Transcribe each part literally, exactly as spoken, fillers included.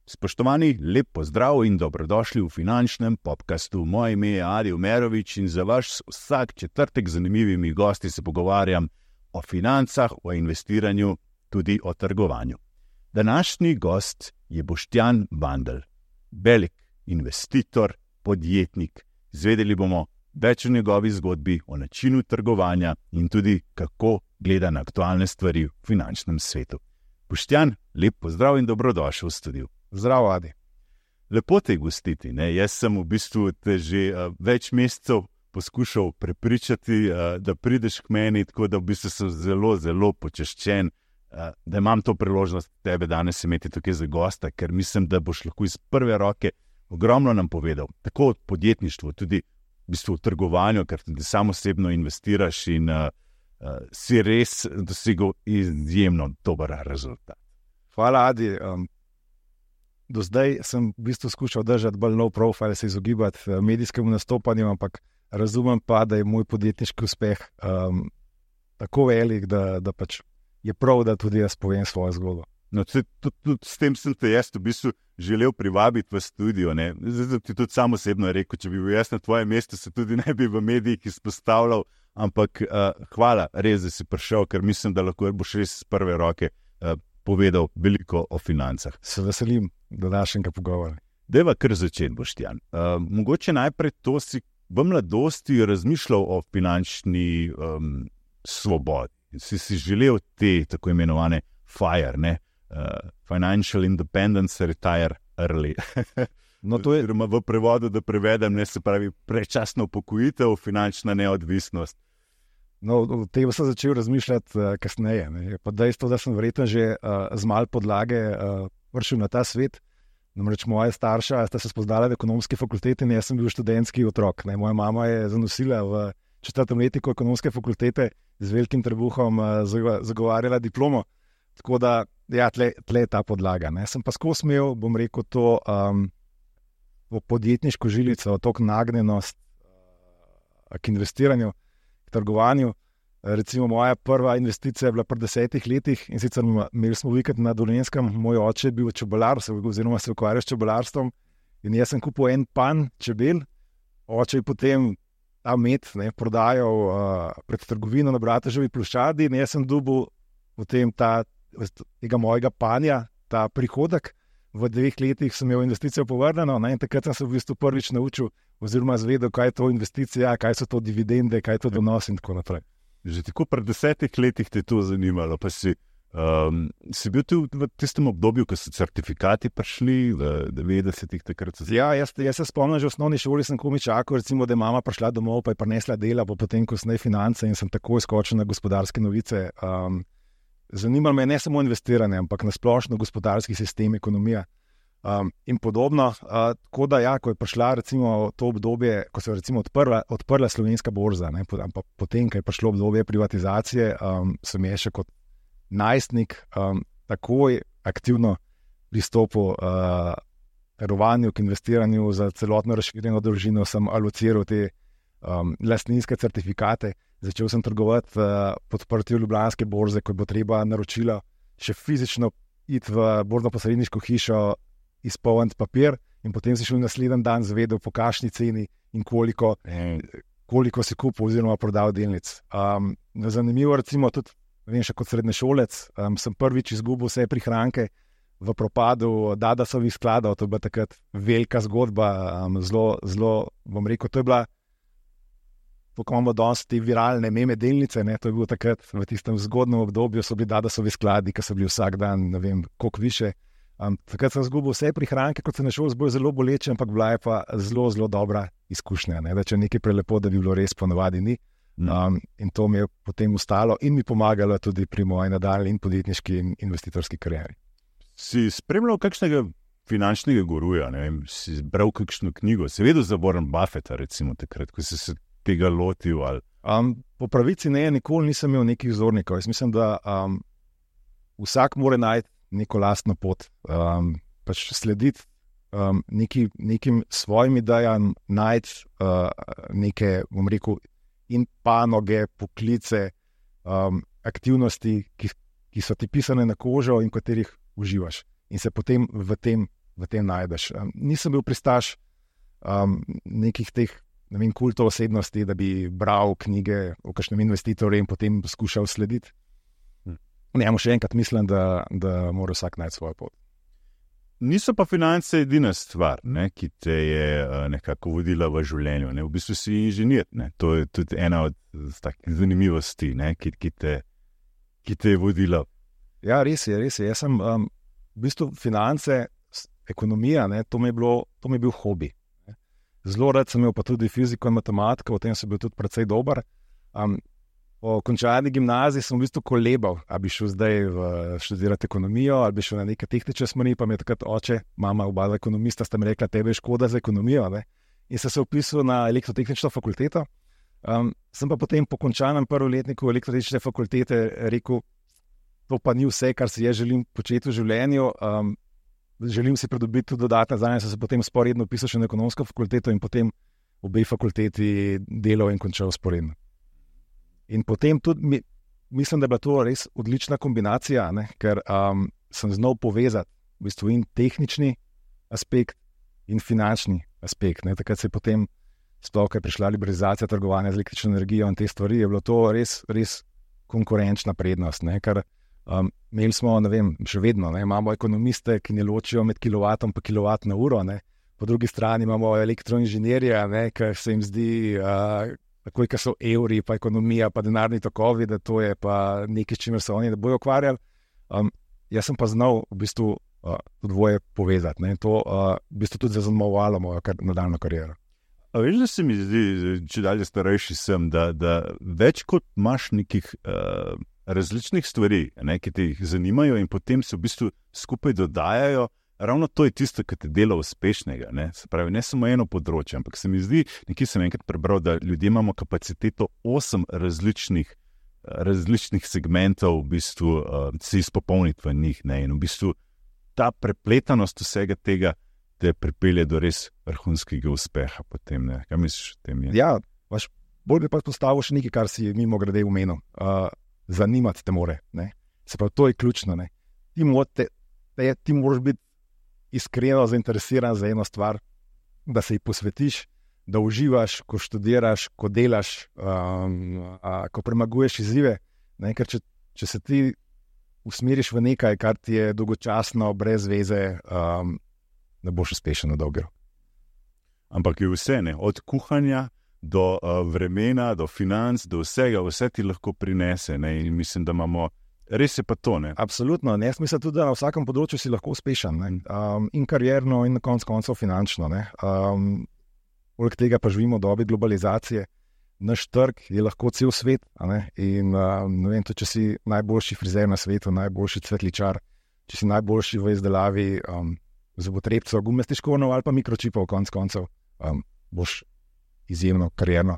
Spoštovani, lep pozdrav in dobrodošli v finančnem podcastu. Moje ime je Adi Umerovič in za vaš vsak četrtek z zanimivimi gosti se pogovarjam o financah, o investiranju, tudi o trgovanju. Današnji gost je Boštjan Bandelj, velik investitor, podjetnik. Izvedeli bomo več o njegovi zgodbi, o načinu trgovanja in tudi kako gleda na aktualne stvari v finančnem svetu. Boštjan, lep pozdrav in dobrodošel v studiu. Zdravo, Adi. Lepo te gostiti, ne? Jaz sem v bistvu te že uh, več mesecev poskušal prepričati, uh, da prideš k meni, tako da v bistvu sem zelo, zelo počaščen, uh, da imam to priložnost tebe danes imeti tukaj za gosta, ker mislim, da boš lahko iz prve roke ogromno nam povedal, tako od podjetništva, tudi v bistvu v trgovanju, ker tudi sam osebno investiraš in uh, uh, si res dosegel izjemno dober rezultat. Hvala, Adi. Um, do zdaj sem v bistvu skušal držati bolj low profile, se izogibati medijskemu nastopanju, ampak razumem pa, da je moj podjetniški uspeh um, tako velik, da, da pač je prav, da tudi jaz povem svojo zgodbo. No, tudi, tudi s tem sem te jaz v bistvu želel privabiti v studio. Ne? Zdaj ti tudi sam osebno rekel, če bi bil jaz na tvojem mestu, se tudi ne bi v medijih izpostavljal, ampak uh, hvala, res, da si prišel, ker mislim, da lahko boš res z prve roke uh, povedal veliko o financah. Se veselim današnjega pogovora. Dajva kar začeti, Boštjan. Uh, mogoče najprej to si v mladosti razmišljal o finančni um, svobodi. Si si želel te tako imenovane FIRE, ne? Uh, Financial Independence Retire Early. No, to je v prevodu, da prevedem, ne, se pravi prečasno upokojitev, finančna neodvisnost. No, o tem sem začel razmišljati uh, kasneje. Ne. Je pa dejstvo, da sem verjetno že uh, z malo podlage uh, prišel na ta svet. Namreč moja starša sta se spoznala v ekonomski fakulteti in jaz sem bil študentski otrok. Ne. Moja mama je zanosila v četrtem letniku ekonomske fakultete z velikim trebuhom uh, zagovarjala diplomo. Tako da, ja, tle, tle je ta podlaga. Ne. Sem pa skozi imel, bom rekel, to um, podjetniško žilico, tok nagnjenost uh, k investiranju, k trgovanju. Recimo moja prva investicija je bila pri desetih letih in sicer imeli smo vikend na Dolenjskem, moj oče je bil čebelar, oziroma se ukvarjal s čebelarstvom in jaz sem kupil en pan čebel, oče je potem ta med ne, prodajal uh, pred trgovino na Brateževi ploščadi in jaz sem dobil potem ta, tega mojega panja, ta prihodek. V dveh letih sem imel investicijo povrnjeno, ne, in takrat sem se v bistvu prvič naučil oziroma zvedel, kaj je to investicija, kaj so to dividende, kaj je to donos in tako naprej. Že tako pred desetih letih te to zanimalo, pa si, um, si bil tu v tistem obdobju, ko so certifikati prišli v devetdesetih takrat? So... Ja, jaz, jaz se spomnim, že v osnovni šoli sem komi čakal, recimo, da je mama prišla domov, pa je prinesla dela, pa potem kasneje finance in sem takoj skočil na gospodarske novice. Um, zanimalo me je ne samo investiranje, ampak na splošno gospodarski sistem, ekonomija. Um, in podobno, uh, tako da ja, ko je prišla recimo to obdobje, ko se je recimo odprla, odprla slovenska borza, ne, ampak potem, ko je prišlo obdobje privatizacije, um, sem je še kot najstnik um, takoj aktivno pristopil uh, trgovanju, k investiranju za celotno razširjeno družino, sem alociral te um, lastninske certifikate, začel sem trgovati uh, pod odprtjem Ljubljanske borze, ko bo treba naročila še fizično iti v borzno-posredniško hišo, izpolniti papir in potem si šel naslednji dan zvedel, po kakšni ceni in koliko, koliko si kupil oziroma prodal delnic. Um, zanimivo, recimo tudi, vem, še kot srednješolec, um, sem prvič izgubil vse prihranke v propadu Dadasovih skladov, to je bila takrat velika zgodba, um, zelo, zelo, bom rekel, to je bila, ko imamo danes te viralne meme delnice, ne, to je bilo takrat v tistem zgodnem obdobju, so bili Dadasovi skladi, ki so bili vsak dan, ne vem, koliko više. Um, takrat sem zgubil vse prihranke, kot se ne šel zbolj zelo boleče, ampak bila je pa zelo, zelo dobra izkušnja. Ne? Da če nekaj prelepo, da bi bilo res, ponavadi ni. Um, in to mi je potem ustalo in mi pomagalo tudi pri moji nadaljnji in podjetniški in investitorski karieri. Si spremljal kakšnega finančnega guruja, ne vem, si bral kakšno knjigo, si vedel za Warren Buffetta, recimo takrat, ko si se tega lotil? Ali... Um, po pravici ne, nikoli nisem imel nekih vzornikov. Jaz mislim, da um, vsak mora najti neko lastno pot, um, pač slediti um, neki, nekim svojim idejam, najti uh, neke, bom rekel, in panoge, poklice, um, aktivnosti, ki, ki so ti pisane na kožo in v katerih uživaš. In se potem v tem, v tem najdeš. Um, nisem bil pristaš um, nekih teh ne vem, kultov osebnosti, da bi bral knjige o kakšnem investitorju in potem skušal slediti. Hm. Ne, še enkrat mislim, da, da mora vsak najti svojo pot. Niso pa finance edina stvar, ne, ki te je uh, nekako vodila v življenju. Ne. V bistvu si inženir. Ne. To je tudi ena od takih zanimivosti, ne, ki, ki, te, ki te je vodila. Ja, res je, res je. Jaz sem um, v bistvu finance, ekonomija, ne, to, mi je bilo, to mi je bil hobi. Ne. Zelo rad sem imel pa tudi fiziko in matematiko, v tem sem bil tudi precej dober. Um, Po končani gimnaziji sem v bistvu kolebal, ali bi šel zdaj v študirati ekonomijo, ali bi šel na neke tehnične smeri, pa mi je takrat oče, mama, oba ekonomista, sta mi rekla, tebe je škoda za ekonomijo. Ne? In sem se vpisal na elektrotehnično fakulteto. Um, sem pa potem po končanem prvoletniku elektrotehnične fakultete rekel, to pa ni vse, kar si jaz želim početi v življenju. Um, želim si pridobiti tudi dodatne znanja, sem se potem sporedno vpisal še na ekonomsko fakulteto in potem obe fakulteti delal in končal sporedno. In potem tudi mi, mislim, da je bila to res odlična kombinacija, ne? Ker um, sem znal povezati v bistvu in tehnični aspekt in finančni aspekt. Ne? Takrat se je potem, sploh, ko je prišla liberalizacija trgovanja z električno energijo in te stvari, je bilo to res, res konkurenčna prednost. Ne? Ker um, imeli smo, ne vem, še vedno, ne? Imamo ekonomiste, ki ne ločijo med kilovatom pa kilovat na uro. Ne? Po drugi strani imamo elektroinženirje, ki se jim zdi... Uh, takoj, ko so evri, pa ekonomija, pa denarni tokovi, da to je pa nekaj, s čimer se oni ne bojo ukvarjali. Um, jaz sem pa znal v bistvu uh, to dvoje povezati. Ne? To uh, v bistvu tudi zaznamovalo mojo kar, nadaljno kariero. A veš, da se mi zdi, če dalje starejši sem, da, da več kot imaš nekih uh, različnih stvari, ne, ki te jih zanimajo in potem se v bistvu skupaj dodajajo, ravno to je tisto, kar te dela uspešnega. Ne? Se pravi, ne samo eno področje, ampak se mi zdi, nekaj sem enkrat prebral, da ljudje imamo kapaciteto osem različnih, različnih segmentov v bistvu uh, se izpopolniti v njih. Ne? In v bistvu ta prepletanost vsega tega te pripelje do res vrhunskega uspeha potem. Ne? Kaj misliš o tem? Je? Ja, vaš, bolj bi pa postavil še nekaj, kar si mimo grede omenil. Uh, zanimati te more. Ne? Se pravi, to je ključno. Ne? Ti, te, te, ti moraš biti iskreno zainteresiran za eno stvar, da se ji posvetiš, da uživaš, ko študiraš, ko delaš, um, a, ko premaguješ izzive. Ne? Ker če, če se ti usmeriš v nekaj, kar ti je dolgočasno, brez veze, um, ne boš uspešen na dolgi rok. Ampak je vse, ne? Od kuhanja do uh, vremena, do financ, do vsega, vse ti lahko prinese. Ne? In mislim, da imamo res je pa to, ne? Absolutno. Ne? Jaz mislim tudi, da na vsakem področju si lahko uspešen. Um, in karierno, in na koncu koncev finančno. Um, poleg tega pa živimo v dobi globalizacije. Naš trg je lahko cel svet. In um, ne vem, tudi, če si najboljši frizer na svetu, najboljši cvetličar, če si najboljši v izdelavi um, zobotrebcev, gumastih škornjev ali pa mikročipov, konc koncev, um, boš izjemno karierno,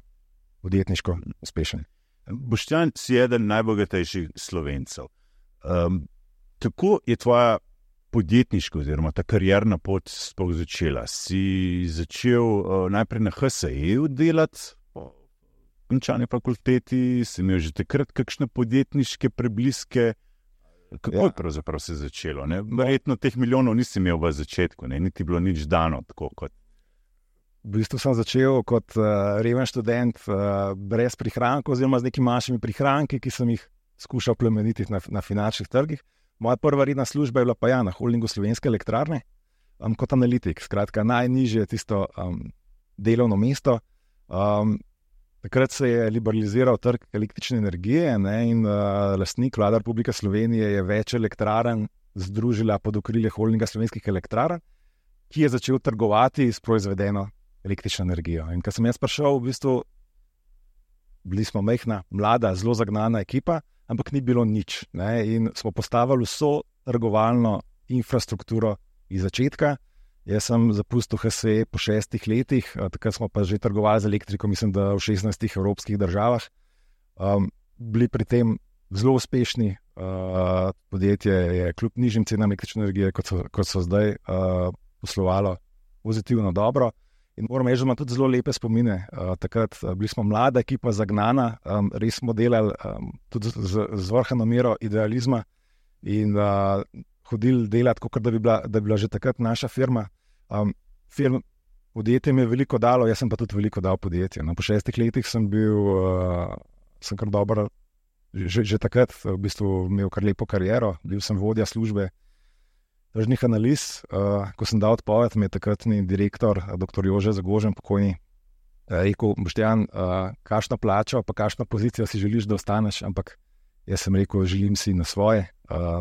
podjetniško uspešen. Boštjan, si eden najbogatejših Slovencev. Um, kako je tvoja podjetniška oziroma ta karierna pot sploh začela? Si začel uh, najprej na H S E-u delati po končani fakulteti, si imel že takrat kakšne podjetniške prebliske? Kako ja. je pravzaprav se začelo? Ne? Verjetno teh milijonov nisi imel v začetku, ne? Niti bilo nič dano tako kot. V bistvu sem začel kot uh, reven študent uh, brez prihrankov oziroma z nekimi manjšimi prihranki, ki sem jih skušal plemenititi na, na finančnih trgih. Moja prva redna služba je bila pa ja na holdingu Slovenske elektrarne um, kot analitik. Skratka, najnižje tisto um, delovno mesto. Um, takrat se je liberaliziral trg električne energije, ne, in uh, lastnik, Vlada Republike Slovenije, je več elektrarn združila pod okrilje holdinga Slovenskih elektrarn, ki je začel trgovati s proizvedeno električno energijo. In ko sem jaz prišel, v bistvu bili smo majhna, mlada, zelo zagnana ekipa, ampak ni bilo nič. Ne? In smo postavili vso trgovalno infrastrukturo iz začetka. Jaz sem zapustil H S E po šestih letih, takrat smo pa že trgovali z elektriko, mislim, da v šestnajstih evropskih državah. Um, bili pri tem zelo uspešni. Uh, podjetje je kljub nižjim cenam električne energije, kot so, kot so zdaj, uh, poslovalo pozitivno dobro. In moram reči, da imam tudi zelo lepe spomine. Uh, takrat uh, bili smo mlada ekipa, zagnana, um, res smo delali um, tudi z, z vrhano mero idealizma in uh, hodili delati, kot da bi bila, da bi bila že takrat naša firma. Um, firm, podjetje mi je veliko dalo, jaz sem pa tudi veliko dal podjetje. No, po šestih letih sem bil, uh, sem kar dober, že, že takrat v bistvu imel kar lepo kariero, bil sem vodja službe tržnih analiz. Uh, ko sem dal odpoved, mi je takratni direktor, doktor Jože Zagožen, pokojni, uh, rekel, Boštjan, uh, kakšno plačo, pa kakšno pozicijo si želiš, da ostaneš, ampak jaz sem rekel, želim si na svoje. Uh,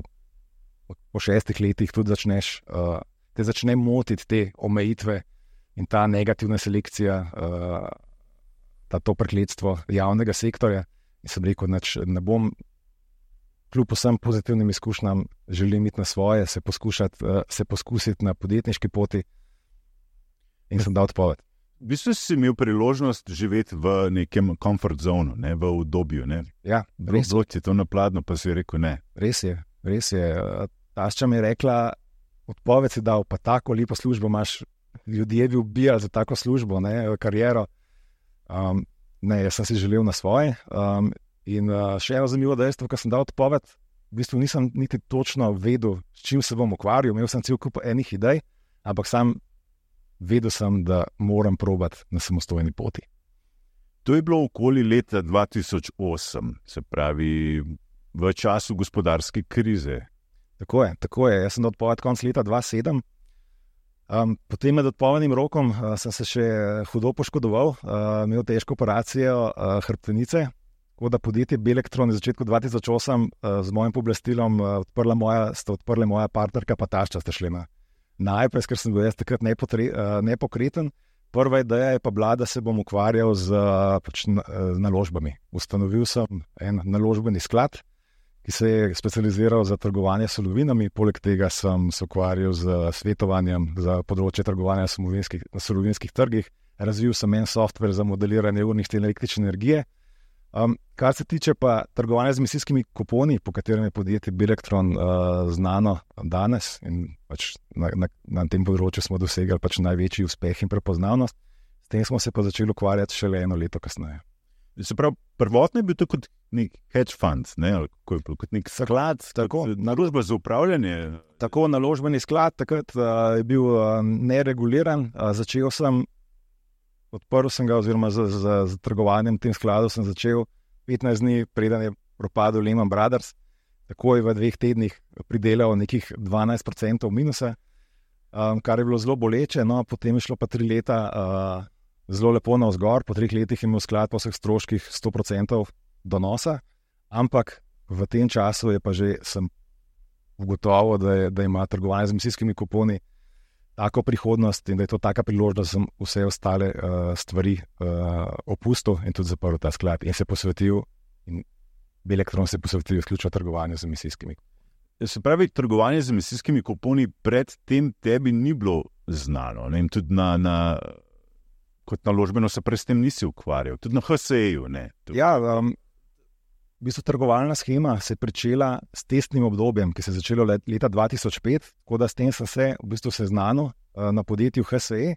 po šestih letih tudi začneš, uh, te začne motiti te omejitve in ta negativna selekcija, uh, ta to prekletstvo javnega sektorja. In sem rekel, nač, ne bom, kljub vsem pozitivnim izkušnjam, želim iti na svoje, se, uh, se poskusiti na podjetniški poti in sem dal odpoved. V bistvu si imel priložnost živeti v nekem comfort zonu, ne, v udobju. Ne. Ja, res je. Je to napladno, pa si rekel ne. Res je, res je. Tašča mi je rekla, odpoved si dal, pa tako lepo službo imaš, ljudje bi ubijali za tako službo, ne, kariero. Um, ne, jaz sem si želel na svoje. Um, in uh, še eno zanimivo dejstvo, ko sem dal odpoved, v bistvu nisem niti točno vedel, s čim se bom ukvarjal. Imel sem cel kup enih idej, ampak sam vedel sem, da moram probati na samostojni poti. To je bilo okoli leta dva tisoč osem, se pravi v času gospodarske krize. Tako je, tako je. Jaz sem dal odpoved konec leta dva tisoč sedem. Um, potem med odpovednim rokom uh, sem se še hudo poškodoval, uh, imel težko operacijo uh, hrbtenice, tako da podjetje Belektron je v začetku dva tisoč osem uh, z mojim pooblastilom uh, odprla moja, sta odprla moja partnerka pa tašča sta šli na najprej, ker sem bil jaz takrat nepotre, uh, nepokreten. Prva ideja je pa bila, da se bom ukvarjal z, uh, pač, na, uh, naložbami. Ustanovil sem en naložbeni sklad, ki se je specializiral za trgovanje s surovinami, poleg tega sem se ukvarjal z svetovanjem za področje trgovanja na surovinskih trgih, razvil sem en software za modeliranje urnih cen električne energije. Um, kar se tiče pa trgovanja z emisijskimi kuponi, po katerem je podjetje Belektron uh, znano danes in pač na, na, na tem področju smo dosegli pač največji uspeh in prepoznavnost, s tem smo se pa začeli ukvarjati šele eno leto kasneje. Se pravi, prvotno je bil to kot nek hedge fund, ne? kot, kot nek sklad, tako, naložba za upravljanje. Tako, naložbeni sklad, takrat uh, je bil uh, nereguliran. Uh, začel sem, odprl sem ga, oziroma z, z, z trgovanjem tem skladu sem začel petnajst dni, preden je propadel Lehman Brothers. Takoj v dveh tednih pridelal nekih dvanajst procentov minusa, um, kar je bilo zelo boleče. No, potem je šlo pa tri leta uh, zelo lepo navzgor, po treh letih je imel sklad po vseh stroških sto procentov donosa, ampak v tem času je pa že sem ugotovil, da, je, da ima trgovanje z emisijskimi kuponi tako prihodnost in da je to taka priložnost, da sem vse ostale uh, stvari uh, opustil in tudi zaprl ta sklad in se posvetil, in Belektron se posvetil izključno trgovanju z emisijskimi. Se pravi, trgovanje z emisijskimi kuponi pred tem tebi ni bilo znano, ne? Tudi na, na kot naložbeno se prej s tem nisi ukvarjal, tudi na H S E-ju. Ja, um, v bistvu trgovalna schema se je pričela s testnim obdobjem, ki se je začelo leta dva tisoč pet, tako da s tem sem se v bistvu seznanil uh, na podjetju H S E,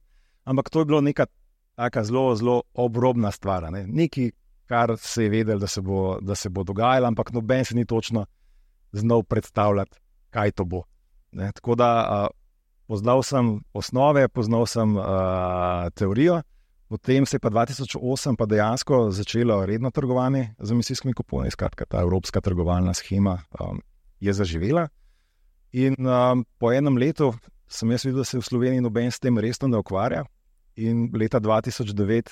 ampak to je bilo neka taka zelo, zelo obrobna stvar, ne? Nekaj, kar se je vedel, da se bo, da se bo dogajalo, ampak noben se ni točno znal predstavljati, kaj to bo. Ne? Tako da uh, poznal sem osnove, poznal sem uh, teorijo. Potem se je pa dva tisoč osem pa dejansko začelo redno trgovanje z emisijskimi kuponi, skratka ta evropska trgovalna schema um, je zaživela. In um, po enem letu sem jaz videl, da se v Sloveniji noben s tem resno ne ukvarja. In leta dva tisoč devet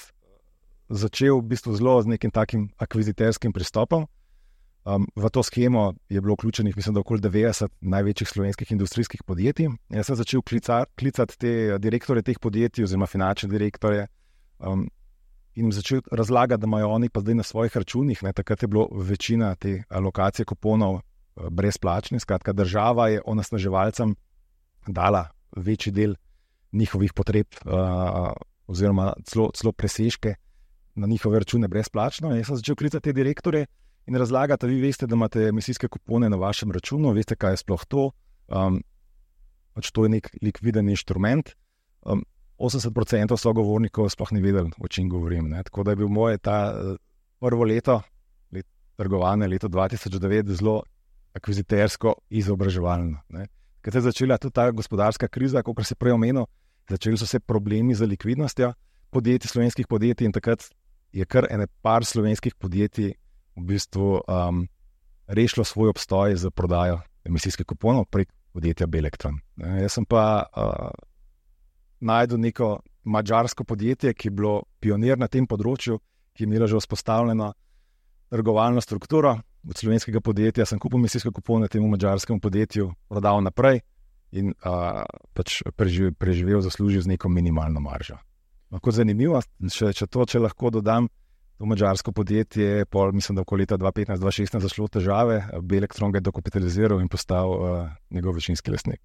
začel v bistvu zelo z nekim takim akviziterskim pristopom. Um, v to schemo je bilo vključenih, mislim, da okoli devetdeset največjih slovenskih industrijskih podjetij. Jaz sem začel klicati, klicati te direktorje teh podjetij oziroma finančne direktorje, Um, in jim začel razlagati, da imajo oni pa zdaj na svojih računih, ne, takrat je bilo večina te alokacije kuponov uh, brezplačne, skratka država je onesnaževalcem dala večji del njihovih potreb uh, oziroma celo, celo presežke na njihove račune brezplačno. In jaz sem začel klicati te direktorje in razlagati, vi veste, da imate emisijske kupone na vašem računu, veste, kaj je sploh to, um, pač to je nek likviden inštrument. Um, osemdeset procent sogovornikov sploh ni vedel, o čem govorim. Ne. Tako da je bil moje ta prvo leto, let trgovanja, leto dva tisoč devet, zelo akvizitersko izobraževalno. Ne. Kad se je začela tudi ta gospodarska kriza, kot se prej omenil, začeli so se problemi z likvidnostjo podjetij, slovenskih podjetij, in takrat je kar ene par slovenskih podjetij v bistvu um, rešilo svoj obstoj za prodajo emisijskih kuponov prek podjetja Belektron. Ne, jaz sem pa uh, najdel neko madžarsko podjetje, ki je bilo pionir na tem področju, ki je imelo že vzpostavljeno trgovalno strukturo. Od slovenskega podjetja sem kupil emisijske kupone temu madžarskemu podjetju, prodal naprej in uh, pač preživel, preživel, zaslužil z neko minimalno maržo. Lahko zanimivo, če, če to, če lahko dodam, to madžarsko podjetje, pol, mislim, da v leta dva petnajst dva šestnajst zašlo težave, Belektron ga je dokapitaliziral in postal uh, njegov večinski lastnik.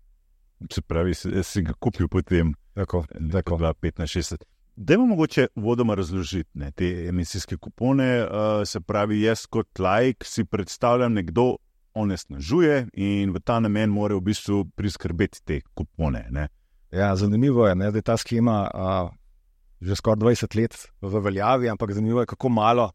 Se pravi, jaz si ga kupil potem. Tako, tako. dva petnajst šestnajst. Dajmo mogoče vodoma razložiti ne, te emisijske kupone. Uh, se pravi, jaz kot laik si predstavljam, nekdo onesnažuje in v ta namen mora v bistvu priskrbeti te kupone. Ne. Ja, zanimivo je, ne, da je ta schema uh, že skoraj dvajset let v veljavi, ampak zanimivo je, kako malo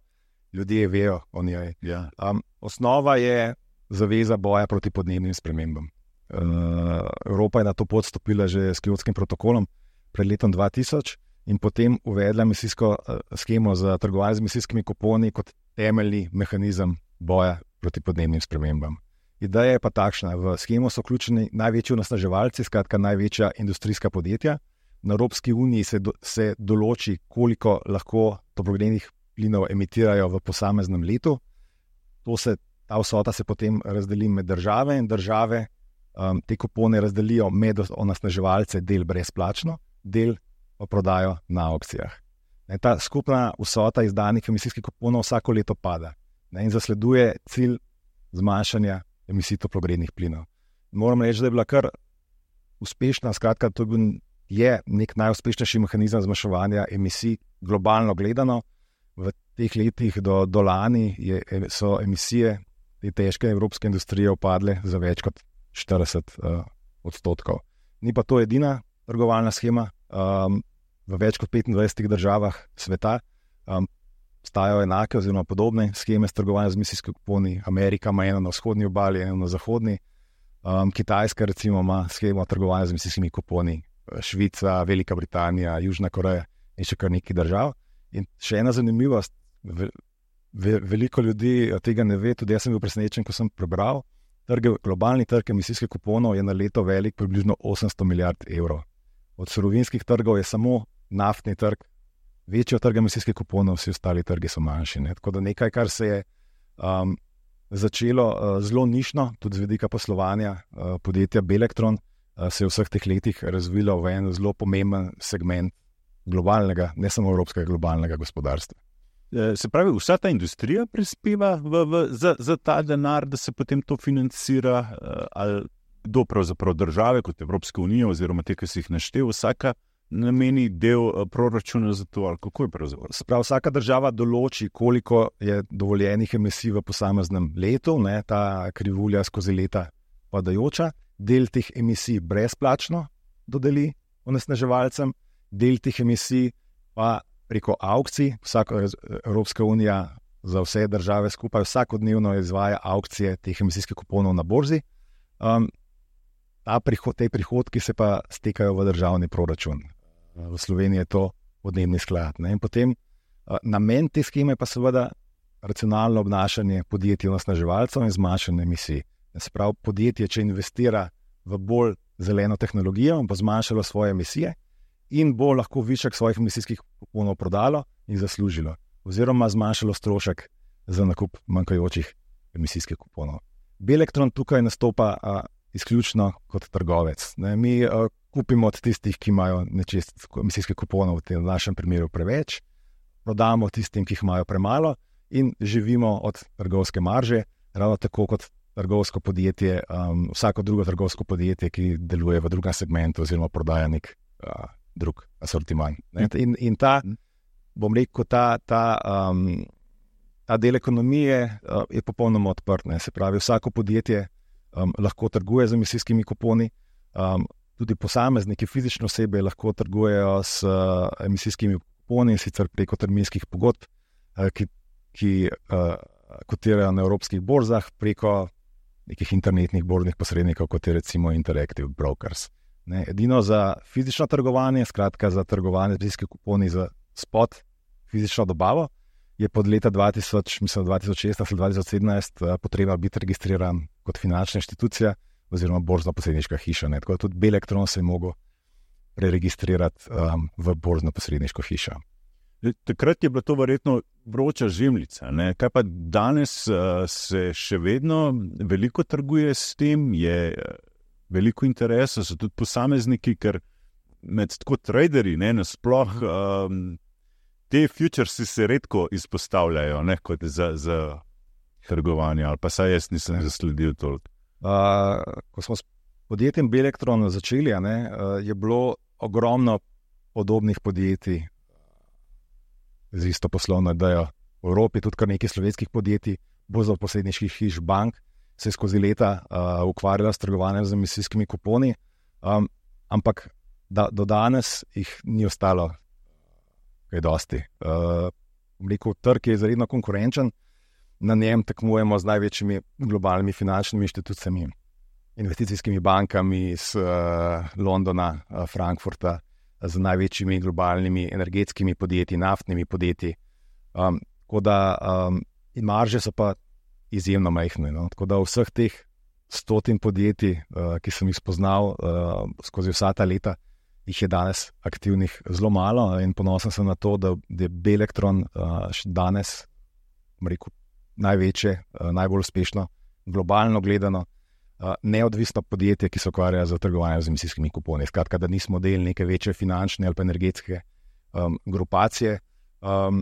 ljudje vejo o njej. Ja. Um, osnova je zaveza boja proti podnebnim spremembam. Uh, Evropa je na to pot stopila že s Kjotskim protokolom pred letom dva tisoč in potem uvedla emisijsko uh, schemo za trgovanje z emisijskimi kuponi kot temeljni mehanizem boja proti podnebnim spremembam. Ideja je pa takšna, v schemo so vključeni največji onesnaževalci, skratka največja industrijska podjetja. Na Evropski uniji se, do, se določi, koliko lahko toplogrednih plinov emitirajo v posameznem letu. To se, ta vsota se potem razdeli med države in države um, te kupone razdelijo med onesnaževalce, del brezplačno, del pa prodajo na aukcijah. Ne, ta skupna vsota izdanih emisijskih kuponov vsako leto pada, ne, in zasleduje cilj zmanjšanja emisij toplogrednih plinov. Moram reči, da je bila kar uspešna, skratka, to je nek najuspešnejši mehanizem zmanjševanja emisij globalno gledano. V teh letih do, do lani je, so emisije te težke evropske industrije upadle za več kot štirideset uh, odstotkov. Ni pa to edina trgovalna schema. Um, v več kot petindvajsetih državah sveta um, stajajo enake oziroma podobne scheme s trgovanjem z emisijskimi kuponi. Amerika ima eno na vzhodni obali, eno na zahodni. Um, Kitajska recimo ima schemo trgovanja z emisijskimi kuponi. Švica, Velika Britanija, Južna Koreja in še kar nekaj držav. In še ena zanimivost, ve, ve, veliko ljudi tega ne ve, tudi jaz sem bil presenečen, ko sem prebral, trge, globalni trg emisijskih kuponov je na leto velik približno osemsto milijard evrov. Od surovinskih trgov je samo naftni trg, večji od trga emisijskih kuponov, vsi ostali trgi so manjši. Ne? Tako da nekaj, kar se je um, začelo uh, zelo nišno, tudi z vidika poslovanja uh, podjetja Belektron, uh, se je v vseh teh letih razvilo v en zelo pomemben segment globalnega, ne samo evropskega, globalnega gospodarstva. Se pravi, vsa ta industrija prispeva v, v, za, za ta denar, da se potem to financira, ali kdo pravzaprav države kot Evropska unija oziroma te, ki si jih naštel, vsaka nameni del proračuna za to, ali kako je pravzaprav? Se pravi, vsaka država določi, koliko je dovoljenih emisij v posameznem letu, ne, ta krivulja skozi leta padajoča, del teh emisij brezplačno dodeli onesnaževalcem, del teh emisij pa preko aukcij. Vsaka Evropska unija za vse države skupaj vsakodnevno izvaja aukcije teh emisijskih kuponov na borzi. Um, ta prihod, te prihodki se pa stekajo v državni proračun. V Sloveniji je to podnebni sklad. Ne? In potem uh, namen te scheme pa seveda racionalno obnašanje podjetij onesnaževalcev in zmanjšanje emisij. Se pravi, podjetje, če investira v bolj zeleno tehnologijo, bo zmanjšalo svoje emisije in bo lahko višek svojih emisijskih kuponov prodalo in zaslužilo, oziroma zmanjšalo strošek za nakup manjkajočih emisijskih kuponov. Belektron tukaj nastopa a, izključno kot trgovec. Ne, mi a, kupimo od tistih, ki imajo nečist emisijskih kuponov, v tem našem primeru preveč, prodamo tistim, ki jih imajo premalo in živimo od trgovske marže, ravno tako kot trgovsko podjetje, um, vsako drugo trgovsko podjetje, ki deluje v drugem segmentu oziroma prodaja nek a, drug asortiman. In, in ta, bom rekel, ta, ta, um, ta del ekonomije uh, je popolnoma odprt. Ne. Se pravi, vsako podjetje um, lahko trguje z emisijskimi kuponi. Um, tudi posamezniki, fizične osebe lahko trgujejo s uh, emisijskimi kuponi, sicer preko terminskih pogodb, uh, ki, ki uh, kotirajo na evropskih borzah, preko nekih internetnih borznih posrednikov, kot je recimo Interactive Brokers. Ne, edino za fizično trgovanje, skratka za trgovanje z emisijskimi kuponi za spot, fizično dobavo, je pod leta dva tisoč, mislim, dva tisoč šest ali dva tisoč sedemnajst uh, potreba biti registriran kot finančna inštitucija oziroma borzno-posredniška hiša. Ne. Tako da tudi Belektron se je mogel preregistrirati um, v borzno-posredniško hišo. Takrat je bila to verjetno vroča žemljica. Ne? Kaj pa danes uh, se še vedno veliko trguje s tem, je uh, veliko interesa, so tudi posamezniki, ker med tako traderji, ne, nasploh um, te futuresi se redko izpostavljajo, ne, kot za, za trgovanje, ali pa saj jaz nisem ne. zasledil toliko. Uh, ko smo s podjetjem Belektron začeli, ne, uh, je bilo ogromno podobnih podjetij z isto poslovno idejo. V Evropi tudi kar nekaj slovenskih podjetij, borzno-posredniških hiš, bank, se je skozi leta uh, ukvarjala s trgovanjem z emisijskimi kuponi, um, ampak da, do danes jih ni ostalo kaj dosti. Uh, rekel, trg je izredno konkurenčen, na njem tekmujemo z največjimi globalnimi finančnimi inštitucijami, investicijskimi bankami iz uh, Londona, uh, Frankfurta, z največjimi globalnimi energetskimi podjetji, naftnimi podjetji. Um, tako da um, in marže so pa izjemno majhne. No? Tako da vseh teh stotin podjetij, uh, ki sem jih spoznal uh, skozi vsa ta leta, jih je danes aktivnih zelo malo in ponosen sem na to, da je Belektron uh, še danes, rekel, največje, uh, najbolj uspešno, globalno gledano, Uh, neodvisno podjetje, ki se ukvarja z trgovanjem z emisijskimi kuponi. Skratka, da nismo del neke večje finančne ali pa energetske um, grupacije, um,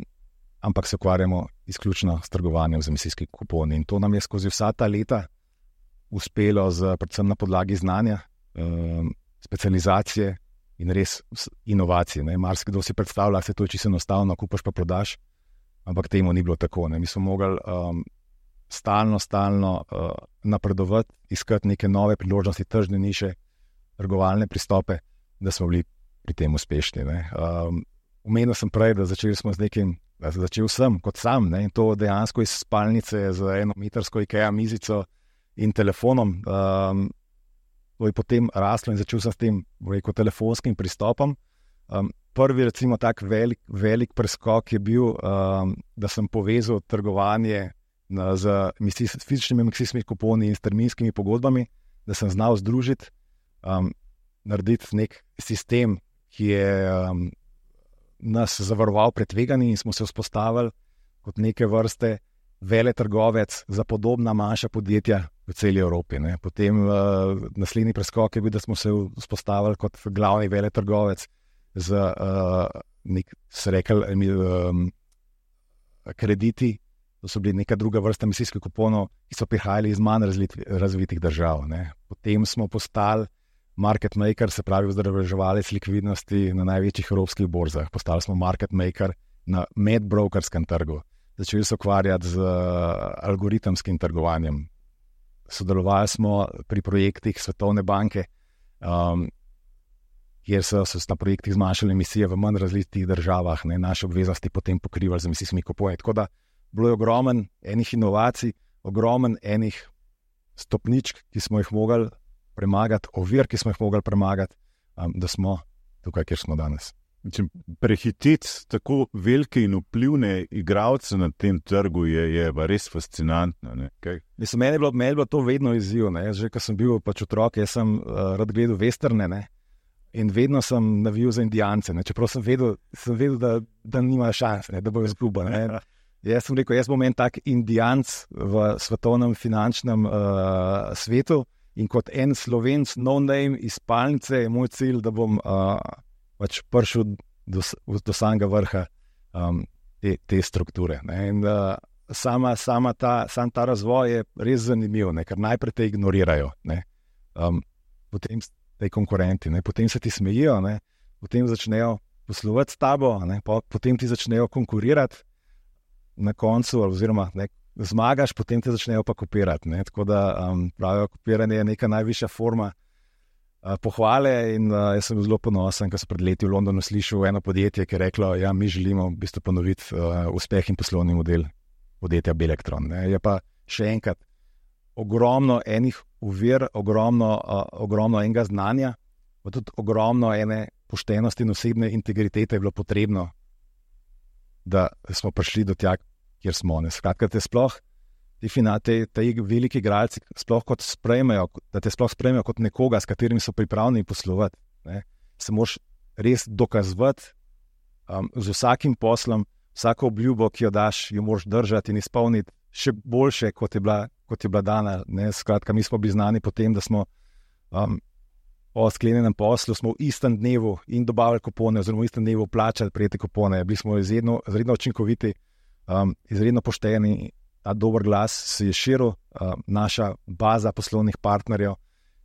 ampak se ukvarjamo izključno s trgovanjem z emisijskimi kuponi. In to nam je skozi vsa ta leta uspelo z, predvsem na podlagi znanja, um, specializacije in res inovacije. Marsikdo si predstavlja, da se to je čisto enostavno, kupaš pa prodaš, ampak temu ni bilo tako. Ne. Mi smo mogli um, stalno, stalno uh, napredovati, iskati neke nove priložnosti, tržne niše, trgovalne pristope, da smo bili pri tem uspešni. Um, Omenil sem prej, da začeli smo z nekim, da začel sem kot sam, ne, in to dejansko iz spalnice z eno metrsko IKEA mizico in telefonom. Um, to je potem raslo in začel sem s tem, rekel, telefonskim pristopom. Um, prvi, recimo, tak velik, velik preskok je bil, um, da sem povezal trgovanje Na, z emisij, fizičnimi emisijskimi kuponi in s terminskimi pogodbami, da sem znal združiti, um, narediti nek sistem, ki je um, nas zavaroval pred tveganji in smo se vzpostavili kot neke vrste veletrgovec za podobna manjša podjetja v celi Evropi. Ne. Potem uh, naslednji preskok je bil, da smo se vzpostavili kot glavni veletrgovec z uh, nek, se rekel, um, krediti. To so bili neka druga vrsta emisijskih kuponov, ki so prihajali iz manj razvitih držav. Ne. Potem smo postali market maker, se pravi vzdrževalec likvidnosti na največjih evropskih borzah. Postali smo market maker na medbrokerskem trgu. Začeli se ukvarjati z algoritemskim trgovanjem. Sodelovali smo pri projektih Svetovne banke, um, kjer so se na projektih zmanjšale emisije v manj razvitih državah, ne, naše obveznosti potem pokrivali z emisijskimi kuponi. Tako da bilo je ogromen enih inovacij, ogromen enih stopničk, ki smo jih mogli premagati, ovir, ki smo jih mogli premagati, um, da smo tukaj, kjer smo danes. Prehiteti tako velike in vplivne igralce na tem trgu je, je res fascinantno. Ne? Mislim, meni je bilo, meni je bilo to vedno izziv. Ne? Že ko sem bil pač otrok, jaz sem uh, rad gledal westerne, ne? In vedno sem navijal za Indijance. Ne? Čeprav sem vedel, sem vedel da, da nimajo šans, ne? Da bojo izgubili. Jaz sem rekel, jaz bom en tak Indijanc v svetovnem finančnem uh, svetu in kot en Slovenc, no name iz spalnice, je moj cilj, da bom uh, pač prišel do, do samega vrha um, te, te strukture. Ne? In uh, sama, sama ta, sam ta razvoj je res zanimiv, ne? Ker najprej te ignorirajo, ne? Um, potem te konkurenti, ne? Potem se ti smejijo, ne? Potem začnejo poslovati s tabo, ne? Potem ti začnejo konkurirati, na koncu, oziroma ne, zmagaš, potem te začnejo pa kopirati. Ne? Tako da um, pravijo, kopiranje je neka najvišja forma uh, pohvale in uh, jaz sem bil zelo ponosen, ker sem pred leti v Londonu slišal eno podjetje, ki je reklo, ja, mi želimo v bistvu ponoviti uh, uspeh in poslovni model podjetja Belektron. Ne. Je pa še enkrat ogromno enih uvir, ogromno, uh, ogromno enega znanja, pa tudi ogromno ene poštenosti in osebne integritete je bilo potrebno, da smo prišli do tja, kjer smo. Ne. Skratka, te sploh Ti, te, te veliki igralci sploh kot sprejmejo, da te sploh sprejmejo kot nekoga, s katerim so pripravljeni poslovati. Ne. Se moraš res dokazovati um, z vsakim poslom, vsako obljubo, ki jo daš, jo moraš držati in izpolniti še boljše, kot je bila, kot je bila dana. Ne. Skratka, mi smo bili znani po tem, da smo um, po sklenjenem poslu smo v istem dnevu in dobavili kupone, oziroma v istem dnevu plačali prejete kupone. Bili smo izredno, izredno učinkoviti, um, izredno pošteni. Ta dober glas se je širil, uh, naša baza poslovnih partnerjev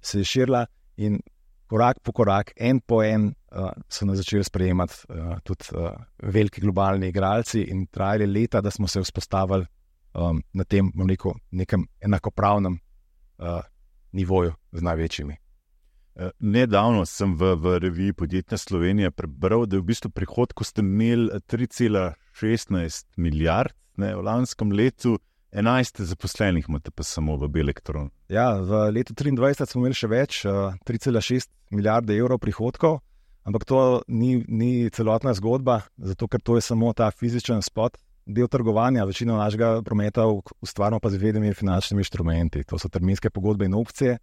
se je širila in korak po korak, en po en uh, so nas začeli sprejemati uh, tudi uh, veliki globalni igralci in trajali leta, da smo se vzpostavili um, na tem, bom rekel, nekem enakopravnem uh, nivoju z največjimi. Nedavno sem v, v reviji Podjetna Slovenija prebral, da je v bistvu prihodku ste imeli tri cela šestnajst milijard, ne, v lanskem letu enajst zaposlenih imate pa samo v Belektron. Ja, v letu triindvajset smo imeli še več, tri cela šest milijarde evrov prihodkov, ampak to ni, ni celotna zgodba, zato ker to je samo ta fizičen spot, del trgovanja, večino našega prometa ustvarjamo pa z vednimi finančnimi inštrumenti. To so terminske pogodbe in opcije,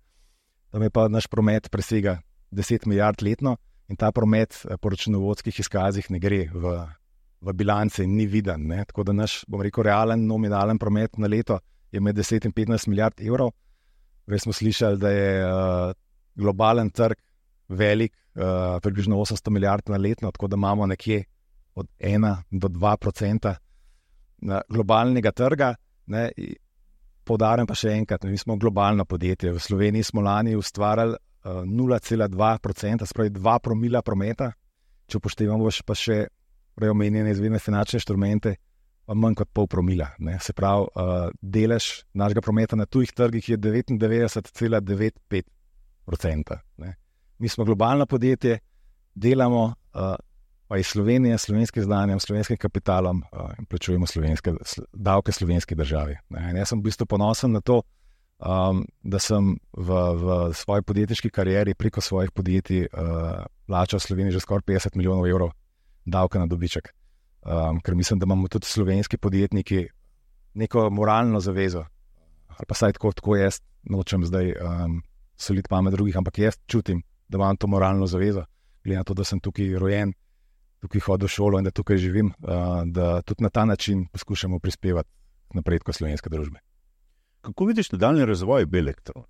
tam je pa naš promet presega deset milijard letno in ta promet po računovodskih izkazih ne gre v v bilance in ni viden. Ne? Tako da naš, bom rekel, realen nominalen promet na leto je med deset in petnajst milijard evrov. Res smo slišali, da je uh, globalen trg velik, uh, približno osemsto milijard na letno, tako da imamo nekje od ena do dva procenta globalnega trga. Ne? Poudarjam pa še enkrat, mi smo globalno podjetje. V Sloveniji smo lani ustvarjali uh, nula cela dva procenta, spravi dva promila prometa, če upoštevamo pa še preomenjene izvedne finančne inštrumente, pa manj kot pol promila. Ne. Se pravi, uh, delež našega prometa na tujih trgih je devetindevetdeset cela devetdeset pet procenta. Mi smo globalno podjetje, delamo uh, pa iz Slovenije, slovenskim znanjem, slovenskim kapitalom uh, in plačujemo slovenske, davke slovenski državi. Ne. In jaz sem v bistvu ponosen na to, um, da sem v, v svoji podjetniški karieri preko svojih podjetij uh, plačal Sloveniji že skoraj petdeset milijonov evrov davka na dobiček. Um, ker mislim, da imamo tudi slovenski podjetniki neko moralno zavezo. Ali pa saj tako, tako jaz nočem zdaj um, soliti pamet drugih, ampak jaz čutim, da imam to moralno zavezo, glede na to, da sem tukaj rojen, tukaj hodil v šolo in da tukaj živim, uh, da tudi na ta način poskušamo prispevati k napredku slovenske družbe. Kako vidiš nadaljnji razvoj Belektron?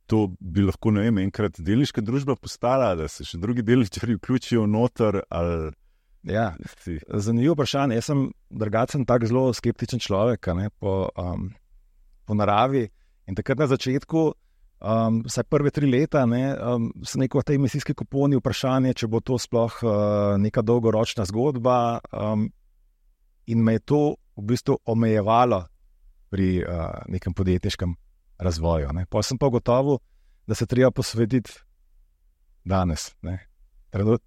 To bi lahko, ne vem, enkrat delniška družba postala, da se še drugi delničarji vključijo noter, ali... Ja, zanimivo vprašanje. Jaz sem drugačen, tak zelo skeptičen človek, ne, po, um, po naravi. In takrat na začetku, um, vsaj prve tri leta, ne, um, so neko te emisijske kuponi vprašanje, če bo to sploh uh, neka dolgoročna zgodba. Um, in me je to v bistvu omejevalo pri uh, nekem podjetniškem razvoju. Ne. Pa sem pa gotovo, da se treba posvetiti danes, ne,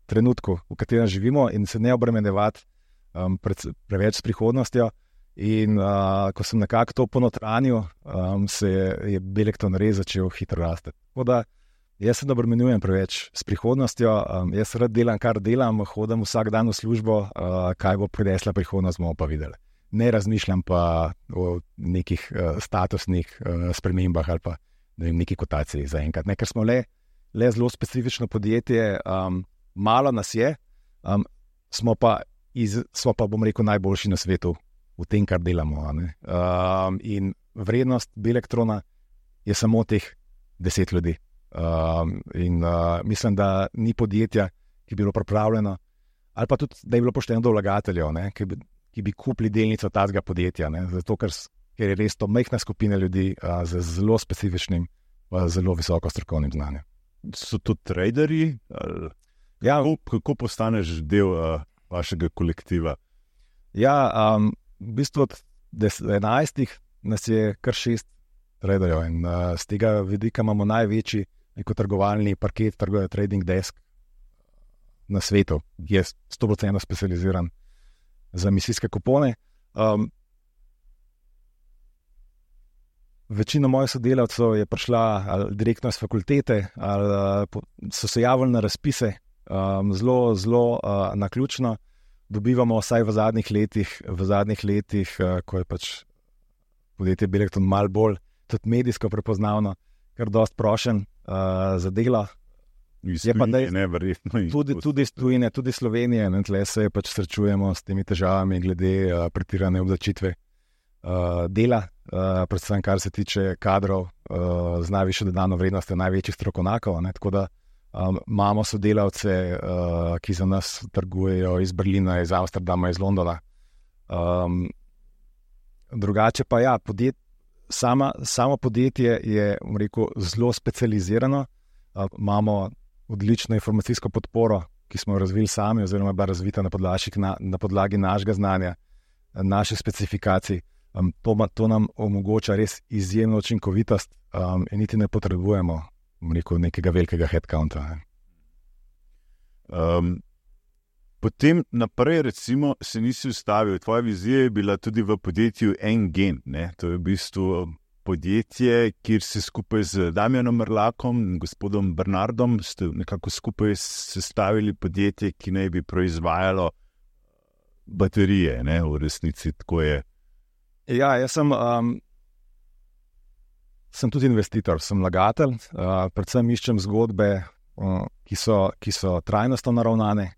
trenutku, v katerem živimo in se ne obremenjevati um, pred, preveč s prihodnostjo. In uh, ko sem nekako to ponotranil, um, se je, je Belektron res začel hitro rasti. Tako da jaz se ne obremenjujem preveč s prihodnostjo, um, jaz rad delam, kar delam, hodim vsak dan v službo, uh, kaj bo prinesla prihodnost, bomo pa videli. Ne razmišljam pa o nekih uh, statusnih uh, spremembah ali pa ne vem, neki kotaciji zaenkrat. Ne, ker smo le, le zelo specifično podjetje, um, malo nas je, um, smo, pa iz, smo pa, bom rekel, najboljši na svetu v tem, kar delamo. Um, in vrednost Belektrona je samo teh deset ljudi. Um, in uh, mislim, da ni podjetja, ki bi bilo pripravljeno, ali pa tudi, da je bilo pošteno do vlagateljev, ne, ki bi ki bi kupili delnico tazga podjetja, ne? Zato, ker, ker je res to majhna skupina ljudi a, z zelo specifičnim, a, zelo visoko strokovnim znanjem. So to traderji? Ja, kako, kako postaneš del a, vašega kolektiva? Ja, um, v bistvu od enajstih nas je kar šest traderjev in a, z tega vidika imamo največji neko trgovalni parket, trguje trading desk na svetu, ki je sto procentov specializiran za emisijske kupone. Um, večina mojih sodelavcev je prišla ali direktno iz fakultete, ali so se javili na razpise, um, zelo, zelo uh, naključno. Dobivamo vsaj v zadnjih letih, v zadnjih letih, uh, ko je pač podjetje Belekton malo bolj tudi medijsko prepoznavno, kar dost prošen uh, za delo. Je pa da je neverjetno. Tudi, tudi iz tujine, tudi Slovenije, ne, tle se pač srečujemo s temi težavami glede uh, pretirane obdavčitve uh, dela, uh, predvsem kar se tiče kadrov uh, z najvišjo dodano vrednostjo največjih strokovnjakov, ne, tako da um, imamo sodelavce, uh, ki za nas trgujejo iz Berlina, iz Amsterdama, iz Londona. Um, drugače pa ja, podjet, sama, samo podjetje je, bom rekel, zelo specializirano. Uh, imamo odlično informacijsko podporo, ki smo jo razvili sami, oziroma bila razvita na podlagi, na, na podlagi našega znanja, naših specifikacij. Um, to, to nam omogoča res izjemno učinkovitost um, in niti ne potrebujemo, bom rekel, nekega velikega headcounta. Ne. Um, potem naprej, recimo, se nisi ustavil. Tvoja vizija je bila tudi v podjetju Engen. Ne? To je v bistvu podjetje, kjer si skupaj z Damjanom Mrlakom in gospodom Bernardom ste nekako skupaj sestavili podjetje, ki naj bi proizvajalo baterije, ne, v resnici tako je. Ja, jaz sem, um, sem tudi investitor, sem vlagatelj, uh, predvsem iščem zgodbe, uh, ki, so, ki so trajnostno naravnane,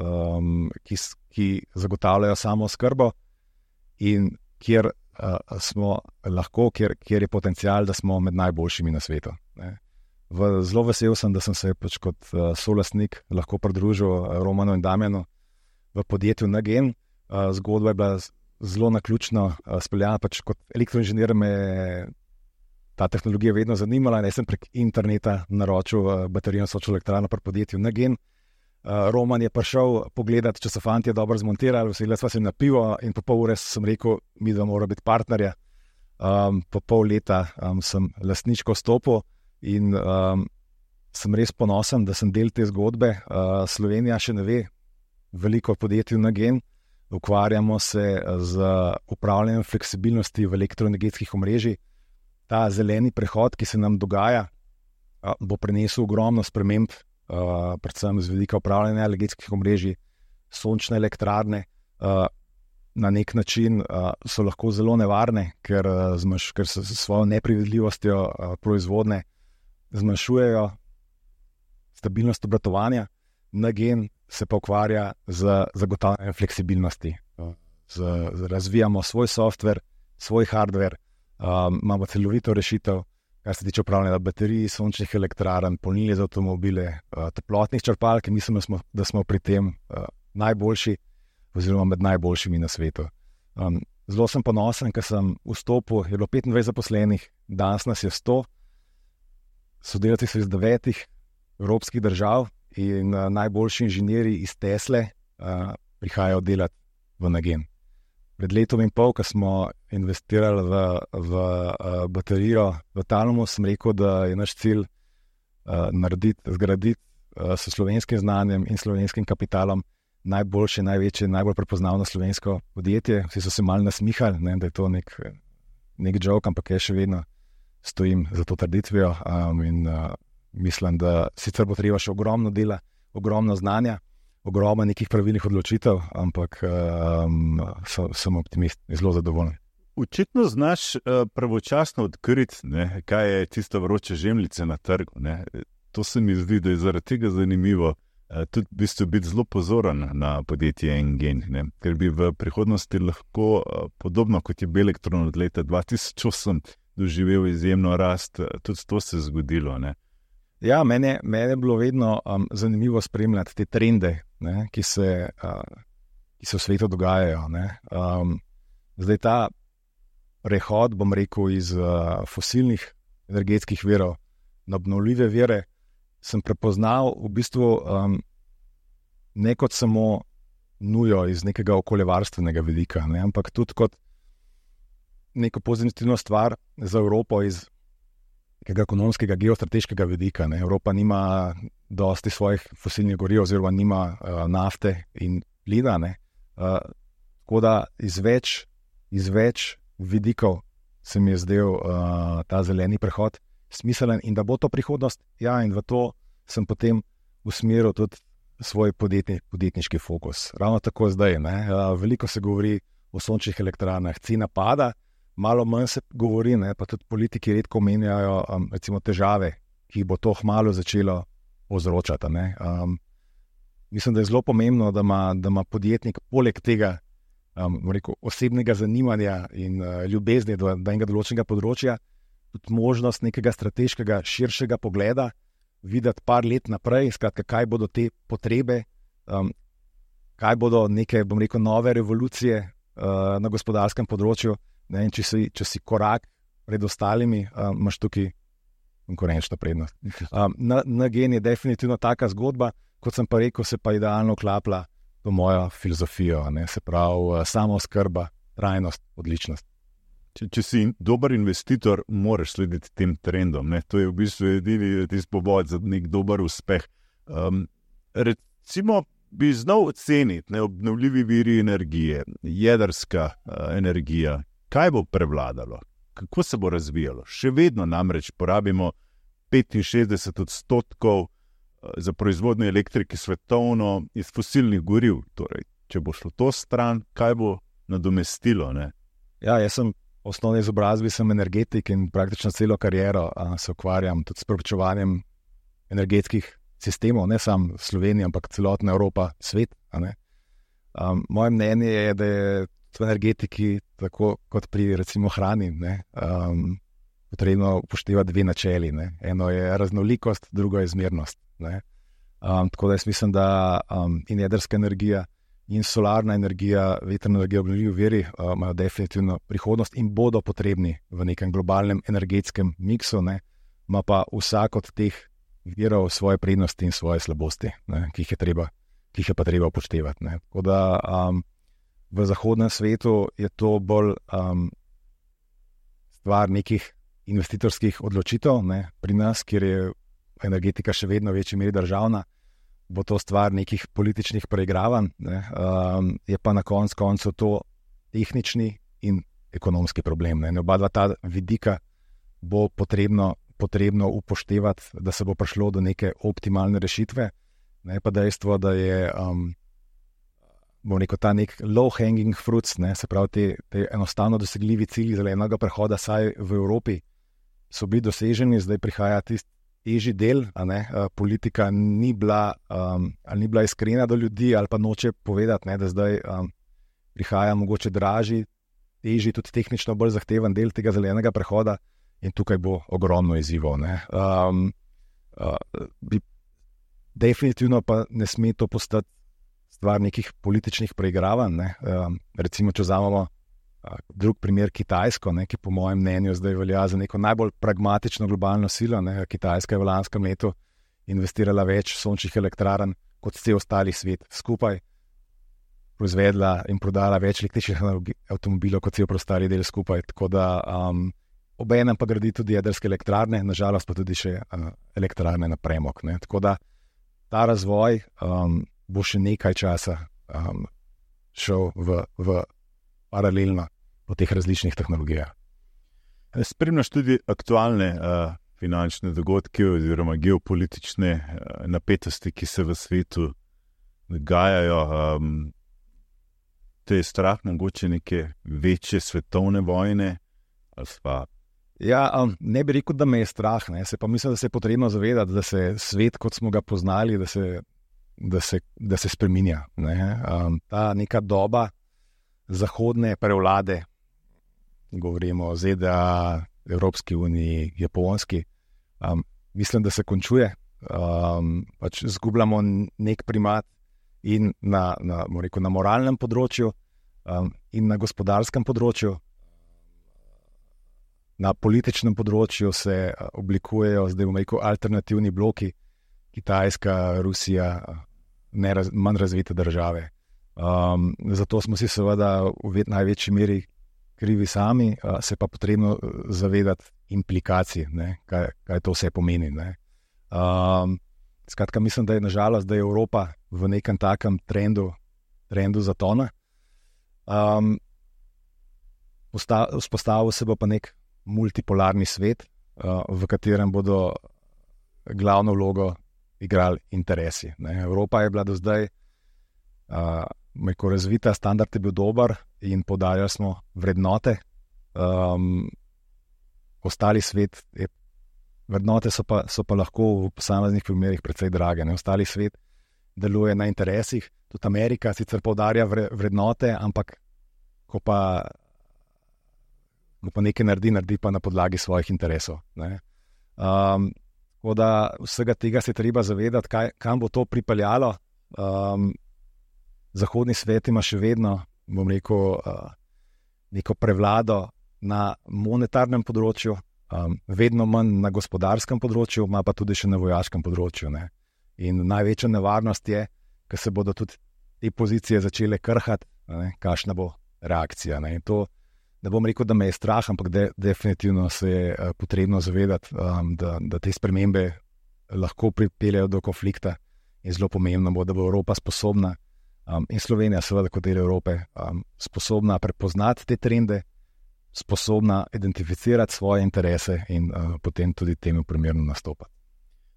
um, ki, ki zagotavljajo samo oskrbo in kjer Uh, smo lahko, kjer, kjer je potencial, da smo med najboljšimi na svetu. Ne. V, zelo vesel sem, da sem se pač kot uh, solastnik lahko pridružil uh, Romanu in Damjanu v podjetju Negen. Uh, zgodba je bila zelo naključno uh, speljana, pač kot elektroinženir me ta tehnologija vedno zanimala in jaz sem prek interneta naročil uh, baterijo sončno elektrarno pri podjetju Negen. Uh, Roman je prišel pogledati, če so fantje dobro zmontirali, vsi sva se na pivo in po pol ure sem rekel, mi da mora biti partnerja. Um, po pol leta um, sem lastniško stopil in um, sem res ponosen, da sem del te zgodbe. Uh, Slovenija še ne ve veliko o podjetju Negen. Ukvarjamo se z upravljanjem fleksibilnosti v elektroenergetskih omrežjih. Ta zeleni prehod, ki se nam dogaja, uh, bo prinesel ogromno sprememb, Uh, predvsem z vidika upravljanja energetskih omrežij. Sončne elektrarne uh, na nek način uh, so lahko zelo nevarne, ker, uh, zmanjš, ker se s svojo neprevidljivostjo uh, proizvodne zmanjšujejo stabilnost obratovanja. Negen se pa ukvarja z zagotavljanjem fleksibilnosti. Uh, z, z, razvijamo svoj software, svoj hardware, uh, imamo celovito rešitev, kar se tiče upravljanja baterij, sončnih elektrarn, polnilnic za avtomobile, uh, toplotnih črpalk, mislim, da smo, da smo pri tem uh, najboljši oziroma med najboljšimi na svetu. Um, zelo sem ponosen, ker sem vstopil, je bilo petindvajset zaposlenih, danes nas je sto, sodelavci so iz devetih evropskih držav in uh, najboljši inženirji iz Tesle uh, prihajajo delati v Negen. Pred letom in pol, ko smo investirali v, v uh, baterijo v Talamu, sem rekel, da je naš cilj uh, narediti, zgraditi uh, s slovenskim znanjem in slovenskim kapitalom najboljše, največje, najbolj prepoznavno slovensko podjetje. Vsi so se malo nasmihali, ne, da je to nek, nek joke, ampak jaz še vedno stojim za to trditvijo um, in uh, mislim, da sicer bo treba še ogromno dela, ogromno znanja, ogromno nekih pravilnih odločitev, ampak um, so, sem optimist in zelo zadovoljen. Očitno znaš uh, pravočasno odkriti, ne, kaj je tisto vroče žemljice na trgu. Ne. To se mi zdi, da je zaradi tega zanimivo uh, tudi v bistvu biti zelo pozoren na podjetje Engen, ne, ker bi v prihodnosti lahko, uh, podobno kot je Belektron od leta dva tisoč osem doživel izjemno rast, uh, tudi to se je zgodilo. Ne. Ja, mene, mene je bilo vedno um, zanimivo spremljati te trende, ne, ki, se, uh, ki se v svetu dogajajo. Ne. Um, zdaj ta prehod, bom rekel, iz uh, fosilnih energetskih virov na obnovljive vire, sem prepoznal v bistvu um, ne kot samo nujo iz nekega okoljevarstvenega vidika, ne, ampak tudi kot neko pozitivno stvar za Evropo iz nekega ekonomskega, geostrateškega vidika. Ne. Evropa nima dosti svojih fosilnih goriv, oziroma nima uh, nafte in plina. Uh, tako da iz več, iz več vidikov se mi je zdel uh, ta zeleni prehod smiselen in da bo to prihodnost. Ja, in v to sem potem usmeril tudi svoj podjetni, podjetniški fokus. Ravno tako zdaj. Ne. Uh, veliko se govori o sončnih elektrarnah, cena pada, malo manj se govori, ne, pa tudi politiki redko omenjajo um, recimo težave, ki jih bo to hmalo začelo povzročati. Ne. Um, mislim, da je zelo pomembno, da ima, da ima podjetnik poleg tega um, rekel, osebnega zanimanja in uh, ljubezni do enega določenega področja tudi možnost nekega strateškega, širšega pogleda, videti par let naprej, skratka, kaj bodo te potrebe, um, kaj bodo neke, bom rekel, nove revolucije uh, na gospodarskem področju. Ne, če, si, če si korak pred ostalimi, um, imaš tukaj konkurenčno prednost. Um, na, na gen je definitivno taka zgodba, kot sem pa rekel, se pa idealno vklapla v mojo filozofijo, ne, se pravi samooskrba, trajnost, odličnost. Če, če si dober investitor, moraš slediti tem trendom. Ne? To je v bistvu edini tisti povod za nek dober uspeh. Um, recimo, bi znal oceniti ne, obnovljivi viri energije, jedrska uh, energija. Kaj bo prevladalo? Kako se bo razvijalo? Še vedno namreč porabimo petinšestdeset odstotkov za proizvodnjo elektrike svetovno iz fosilnih goriv. Torej, če bo šlo to stran, kaj bo nadomestilo? Ne? Ja, jaz sem v osnovni izobrazbi sem energetik in praktično celo kariero a, se ukvarjam tudi s preučevanjem energetskih sistemov, ne samo Slovenija, ampak celotna Evropa, svet. A ne? Um, moje mnenje je, da je v energetiki, tako kot pri recimo hrani, ne, um, potrebno upoštevati dve načeli. Ne. Eno je raznolikost, drugo je zmernost. Ne. Um, tako da jaz mislim, da um, in jedrska energija, in solarna energija, vetrna energija, obnovljivi viri uh, imajo definitivno prihodnost in bodo potrebni v nekem globalnem energetskem miksu. Ne. Ma pa vsak od teh virov svoje prednosti in svoje slabosti, ne, ki jih je treba, ki jih je pa treba upoštevati. Ne. Tako da um, v zahodnem svetu je to bolj um, stvar nekih investitorskih odločitev, ne. Pri nas, kjer je energetika še vedno v večji meri državna, bo to stvar nekih političnih preigravanj, ne. Um, je pa na koncu koncev to tehnični in ekonomski problem. Ne. Oba dva ta vidika bo potrebno, potrebno upoštevati, da se bo prišlo do neke optimalne rešitve. Ne, pa dejstvo, da je um, bom rekel, ta nek low-hanging fruits, ne, se pravi, te, te enostavno dosegljivi cilji zelenega prehoda, saj v Evropi so bili doseženi, zdaj prihaja tisti težji del, a ne, politika ni bila, um, ali ni bila iskrena do ljudi, ali pa noče povedati, ne, da zdaj um, prihaja mogoče dražji, težji, tudi tehnično bolj zahteven del tega zelenega prehoda in tukaj bo ogromno izzivov. Ne. Um, uh, bi, definitivno pa ne sme to postati stvar nekih političnih preigravanj. Ne. Um, recimo, če vzamemo uh, drug primer Kitajsko, ne, ki po mojem mnenju zdaj velja za neko najbolj pragmatično globalno silo. Ne. Kitajska je v lanskem letu investirala več sončnih elektrarn kot vse ostali svet skupaj, proizvedla in prodala več električnih avtomobilov kot vse ostali del skupaj. Tako da um, obenem pa gradi tudi jedrske elektrarne, nažalost pa tudi še uh, elektrarne na premog. Ne. Tako da ta razvoj um, bo še nekaj časa um, šel v, v paralelno po teh različnih tehnologijah. Spremljaš tudi aktualne uh, finančne dogodke oziroma geopolitične uh, napetosti, ki se v svetu dogajajo. Um, te je strah mogoče neke večje svetovne vojne? Pa... Ja, um, ne bi rekel, da me je strah. Ne. Se pa mislim, da se je potrebno zavedati, da se svet, kot smo ga poznali, da se Da se, da se spreminja. Ne? Um, ta neka doba zahodne prevlade, govorimo o Z D A, Evropski uniji, Japonski, um, mislim, da se končuje. Um, pač zgubljamo nek primat in na, na, rekel, na moralnem področju um, in na gospodarskem področju. Na političnem področju se oblikujejo zdaj, bom rekel, alternativni bloki, Kitajska, Rusija, neraz, manj razvite države. Um, zato smo si seveda v največji meri krivi sami, uh, se pa potrebno zavedati implikacij, ne, kaj, kaj to vse pomeni. Ne. Um, skratka, mislim, da je nažalost, da je Evropa v nekem takem trendu, trendu zatona. Um, Vzpostavil se bo pa nek multipolarni svet, uh, v katerem bodo glavno vlogo igrali interesi. Ne. Evropa je bila do zdaj uh, meko razvita, standard je bil dober in poudarjali smo vrednote. Um, ostali svet, je, vrednote so pa, so pa lahko v posameznih primerih precej drage. Ne. Ostali svet deluje na interesih, tudi Amerika sicer poudarja vre, vrednote, ampak ko pa ko pa nekaj naredi, naredi pa na podlagi svojih interesov. Ne. Um, tako da vsega tega se treba zavedati, kaj, kam bo to pripeljalo. Um, zahodni svet ima še vedno, bom rekel, uh, neko prevlado na monetarnem področju, um, vedno manj na gospodarskem področju, ima pa tudi še na vojaškem področju. Ne. In največja nevarnost je, ker se bodo tudi te pozicije začele krhati, ne, kakšna bo reakcija. Ne. In to ne bom rekel, da me je strah, ampak de, definitivno se je uh, potrebno zavedati, um, da, da te spremembe lahko pripeljejo do konflikta in zelo pomembno bo, da bo Evropa sposobna um, in Slovenija seveda kot del Evrope um, sposobna prepoznati te trende, sposobna identificirati svoje interese in uh, potem tudi temu primerno nastopati.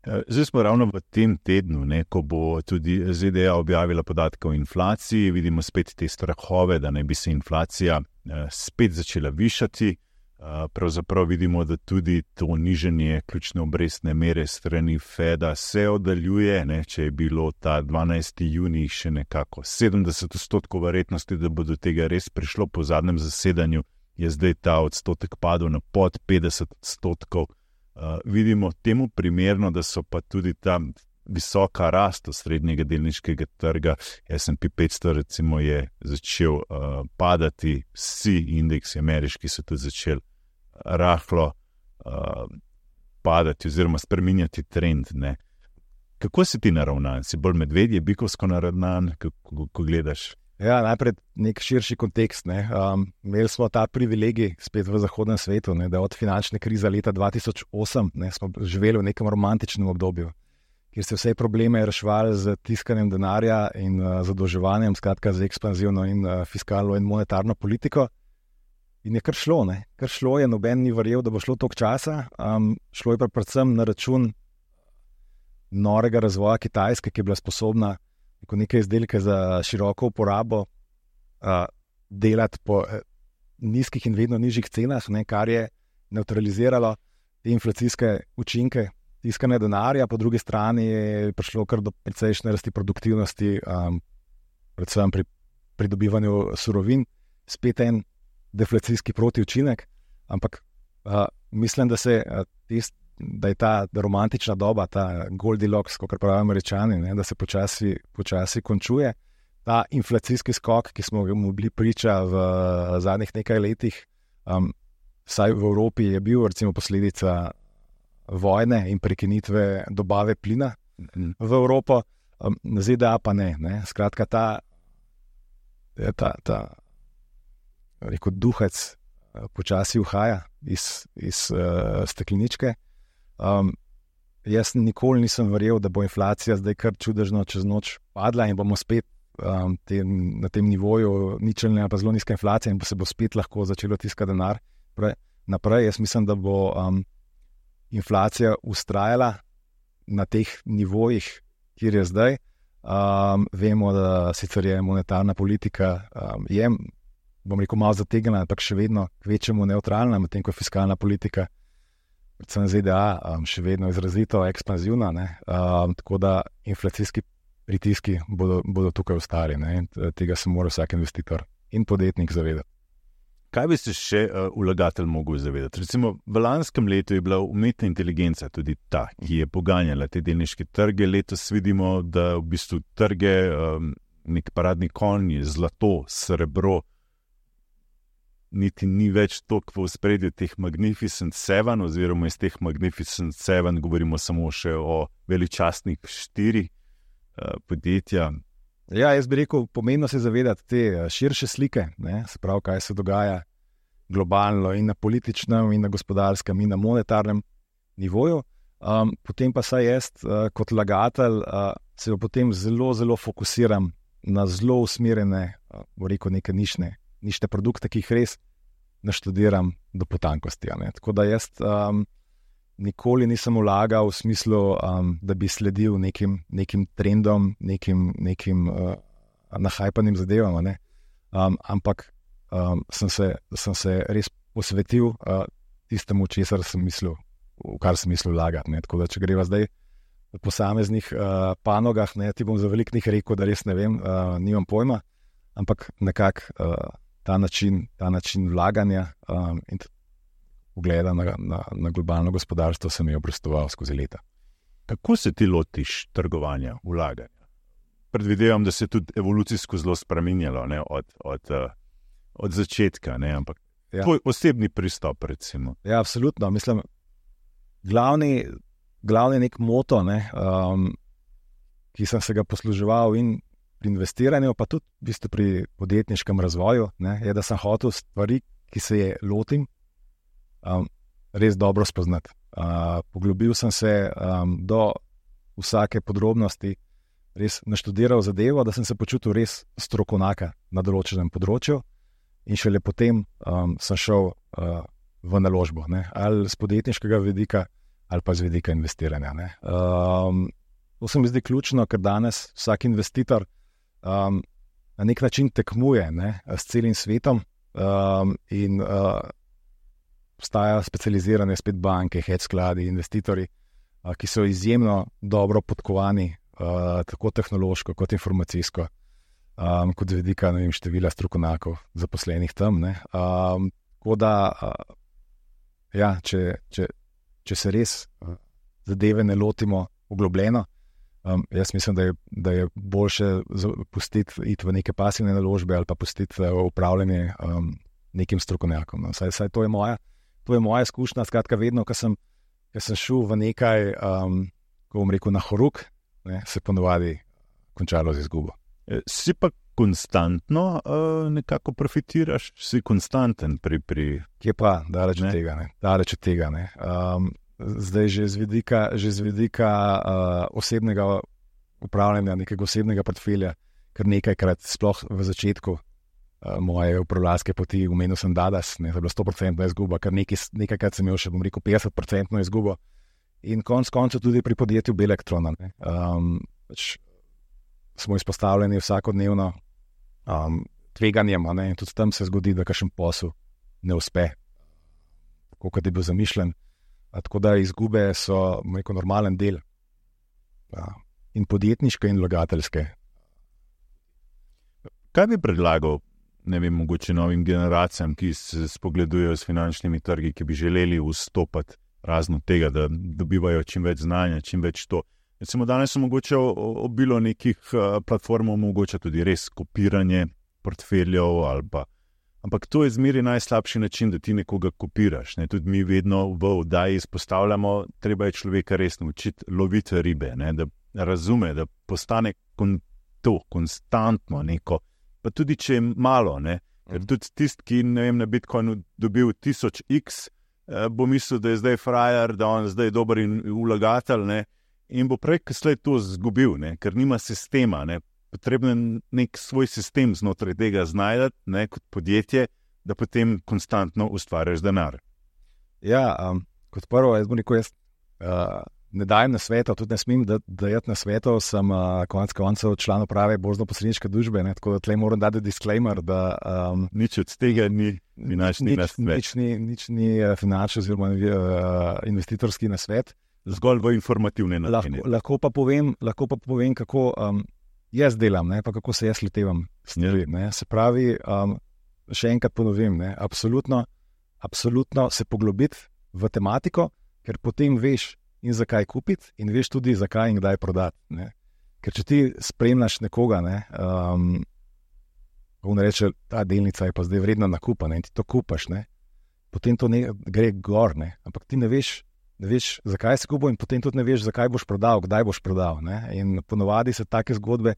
Zdaj smo ravno v tem tednu, ne, ko bo tudi Z D A objavila podatke o inflaciji, vidimo spet te strahove, da naj bi se inflacija eh, spet začela višati. Eh, pravzaprav vidimo, da tudi to nižanje ključne obrestne mere strani Feda se oddaljuje. Ne, če je bilo ta dvanajsti junij še nekako sedemdeset odstotkov verjetnosti, da bo do tega res prišlo po zadnjem zasedanju, je zdaj ta odstotek padel na pod petdeset odstotkov. Uh, vidimo temu primerno, da so pa tudi ta visoka rast srednjega delniškega trga, S and P petsto recimo je začel uh, padati, vsi indeksi ameriški so tudi začeli rahlo uh, padati oziroma spreminjati trend. Ne. Kako si ti naravnan? Si bolj medvedje, bikovsko naravnan, ko, ko gledaš? Ja, najprej nek širši kontekst. Ne. Um, imeli smo ta privilegij spet v zahodnem svetu, ne, da od finančne krize leta dva tisoč osem ne, smo živeli v nekem romantičnem obdobju, kjer se vse probleme reševali z tiskanjem denarja in uh, zadolževanjem, skratka z ekspanzivno in uh, fiskalno in monetarno politiko. In je kar šlo, ne. Kar šlo je, noben ni verjel, da bo šlo toliko časa. Um, šlo je pa predvsem na račun norega razvoja Kitajske, ki je bila sposobna ko neke izdelke za široko uporabo uh, delati po uh, nizkih in vedno nižjih cenah, ne, kar je neutraliziralo te inflacijske učinke tiskanja denarja, po drugi strani je prišlo kar do precejšnje rasti produktivnosti, um, predvsem pri pridobivanju surovin, spet en deflacijski protiučinek, ampak uh, mislim, da se uh, test da je ta romantična doba, ta Goldilocks, kot pravijo Američani, ne, da se počasi, počasi končuje. Ta inflacijski skok, ki smo mu bili priča v zadnjih nekaj letih, um, vsaj v Evropi je bil recimo posledica vojne in prekinitve dobave plina mm. v Evropo, um, Z D A pa ne. ne. Skratka, ta, ta, ta rekel, duhec počasi uhaja iz, iz uh, stekleničke. Um, jaz nikoli nisem verjel, da bo inflacija zdaj kar čudežno čez noč padla in bomo spet um, te, na tem nivoju ničelne ali pa zelo nizka inflacija in bo se bo spet lahko začelo tiskati denar pre, naprej. Jaz mislim, da bo um, inflacija ustrajala na teh nivojih, kjer je zdaj. Um, vemo, da sicer je monetarna politika um, je, bom rekel, malo zategnjena, ampak še vedno kvečemu neutralna, medtem ko fiskalna politika predvsem Z D A, um, še vedno izrazito ekspanzivna, ne? Um, tako da inflacijski pritiski bodo, bodo tukaj ostali. Ne? Tega se mora vsak investitor in podjetnik zavedati. Kaj bi se še uh, vlagatelj mogel zavedati? Recimo v lanskem letu je bila umetna inteligenca tudi ta, ki je poganjala te delniške trge. Letos vidimo, da v bistvu trge, um, nek paradni konj, zlato, srebro, niti ni več toliko v ospredju teh Magnificent Seven, oziroma iz teh Magnificent Seven govorimo samo še o veličastnih štiri uh, podjetja. Ja, jaz bi rekel, pomembno se zavedati te širše slike, ne, se pravi, kaj se dogaja globalno in na političnem, in na gospodarskem, in na monetarnem nivoju. Um, potem pa saj jaz uh, kot vlagatelj uh, se potem zelo, zelo fokusiram na zelo usmerjene, uh, rekel neke nišne, nišne produkte, ki jih res naštudiram do potankosti. Ne? Tako da jaz um, nikoli nisem vlagal v smislu, um, da bi sledil nekim, nekim trendom, nekim, nekim uh, nahajpanim zadevam, ne? um, ampak um, sem, se, sem se res posvetil uh, tistemu, česar sem mislil, v kar sem mislil vlagati. Ne? Tako da, če greva zdaj v posameznih uh, panogah, ne, ti bom za veliko njih rekel, da res ne vem, uh, nimam pojma, ampak nekako uh, ta način, ta način vlaganja um, in pogleda na, na, na globalno gospodarstvo se mi je obrestoval skozi leta. Kako se ti lotiš trgovanja, vlaganja? Predvidevam, da se je tudi evolucijsko zelo spreminjalo, ne, od, od, uh, od začetka, ne, ampak ja. Tvoj osebni pristop, recimo. Ja, absolutno. Mislim, glavni, glavni nek moto, ne, um, ki sem se ga posluževal in pri investiranju, pa tudi v bistvu pri podjetniškem razvoju, ne, je, da sem hotel stvari, ki se je lotim, um, res dobro spoznati. Uh, poglobil sem se um, do vsake podrobnosti, res naštudiral zadevo, da sem se počutil res strokovnjaka na določenem področju in šele potem um, sem šel uh, v naložbo, ne, ali z podjetniškega vidika, ali pa z vidika investiranja. Ne. Um, to se mi zdi ključno, ker danes vsak investitor Um, na nek način tekmuje, ne, s celim svetom um, in uh, obstajajo specializirane spet banke, hedge skladi, investitorji, uh, ki so izjemno dobro podkovani, uh, tako tehnološko kot informacijsko, um, kot z vidika, ne vem, števila strokovnjakov zaposlenih tam. Ne. Um, tako da, uh, ja, če, če, če se res uh, zadeve ne lotimo poglobljeno, Um, jaz mislim, da je, da je boljše pustiti iti v neke pasivne naložbe ali pa pustiti uh, upravljanje um, nekim strokovnjakom. No. Saj, saj to je moja, to je moja izkušnja. Skratka, vedno, ko sem, ko sem šel v nekaj, um, ko bom rekel, na horuk, ne, se ponovadi končalo z izgubo. Si pa konstantno uh, nekako profitiraš, si konstanten pri... pri... Kje pa, daleč od tega, ne. Daleč od tega, ne. Um, Zdaj že z vidika, že z vidika uh, osebnega upravljanja, nekega osebnega portfelja, kar nekajkrat, sploh v začetku uh, moje upravljalske poti, omenil sem Dadas, ne, to je bila sto procentna izguba, kar nekaj, nekajkrat sem imel še, bom rekel, petdeset procentno izgubo. In konc koncev tudi pri podjetju Belektrona. Um, pač smo izpostavljeni vsakodnevno um, tveganjem, ne, in tudi tam se zgodi, da kakšen posel ne uspe, tako kot je bil zamišljen. A tako da izgube so neko normalen del, ja, in podjetniške in vlagateljske. Kaj bi predlagal, ne vem, mogoče novim generacijam, ki se spogledujejo s finančnimi trgi, ki bi želeli vstopati razno tega, da dobivajo čim več znanja, čim več to. Recimo danes so mogoče obilo nekih platform, mogoče tudi res kopiranje portfeljev ali pa. Ampak to je zmeri najslabši način, da ti nekoga kopiraš. Ne? Tudi mi vedno v oddaji izpostavljamo, treba je človeka res naučiti loviti ribe, ne? Da razume, da postane kon, to konstantno neko, pa tudi če je malo, ne? Ker tudi tisti, ki ne vem, na Bitcoinu dobil tisoč x, eh, bo mislil, da je zdaj frajer, da on zdaj dober in vlagatelj, ne? In bo prej slej to zgubil, ne? Ker nima sistema, ne? Potrebno je nek svoj sistem znotraj tega znajdati, ne, kot podjetje, da potem konstantno ustvarjaš denar. Ja, um, kot prvo, jaz bom rekel, jaz uh, ne dajem na svetov, tudi ne smem dajati na svetov, sem uh, konec koncev član uprave borzno-posredniške družbe, ne, tako da tle moram dati disclaimer, da um, nič od tega ni finančni nasvet. Nič ni, nič ni finančni oziroma uh, investitorski nasvet. Zgolj v informativne načine. Lahko, lahko pa povem, lahko pa povem, kako um, jaz delam, ne, pa kako se jaz lotevam stvari. Ne. Se pravi, um, še enkrat ponovim, ne, absolutno, absolutno se poglobiti v tematiko, ker potem veš in zakaj kupiti in veš tudi zakaj in kdaj prodati. Ne. Ker če ti spremljaš nekoga, ne, um, on reče, ta delnica je pa zdaj vredna nakupa, ne, in ti to kupaš, ne, potem to ne, gre gor, ne, ampak ti ne veš, ne veš, zakaj si kupil in potem tudi ne veš, zakaj boš prodal, kdaj boš prodal. Ne? In ponovadi se take zgodbe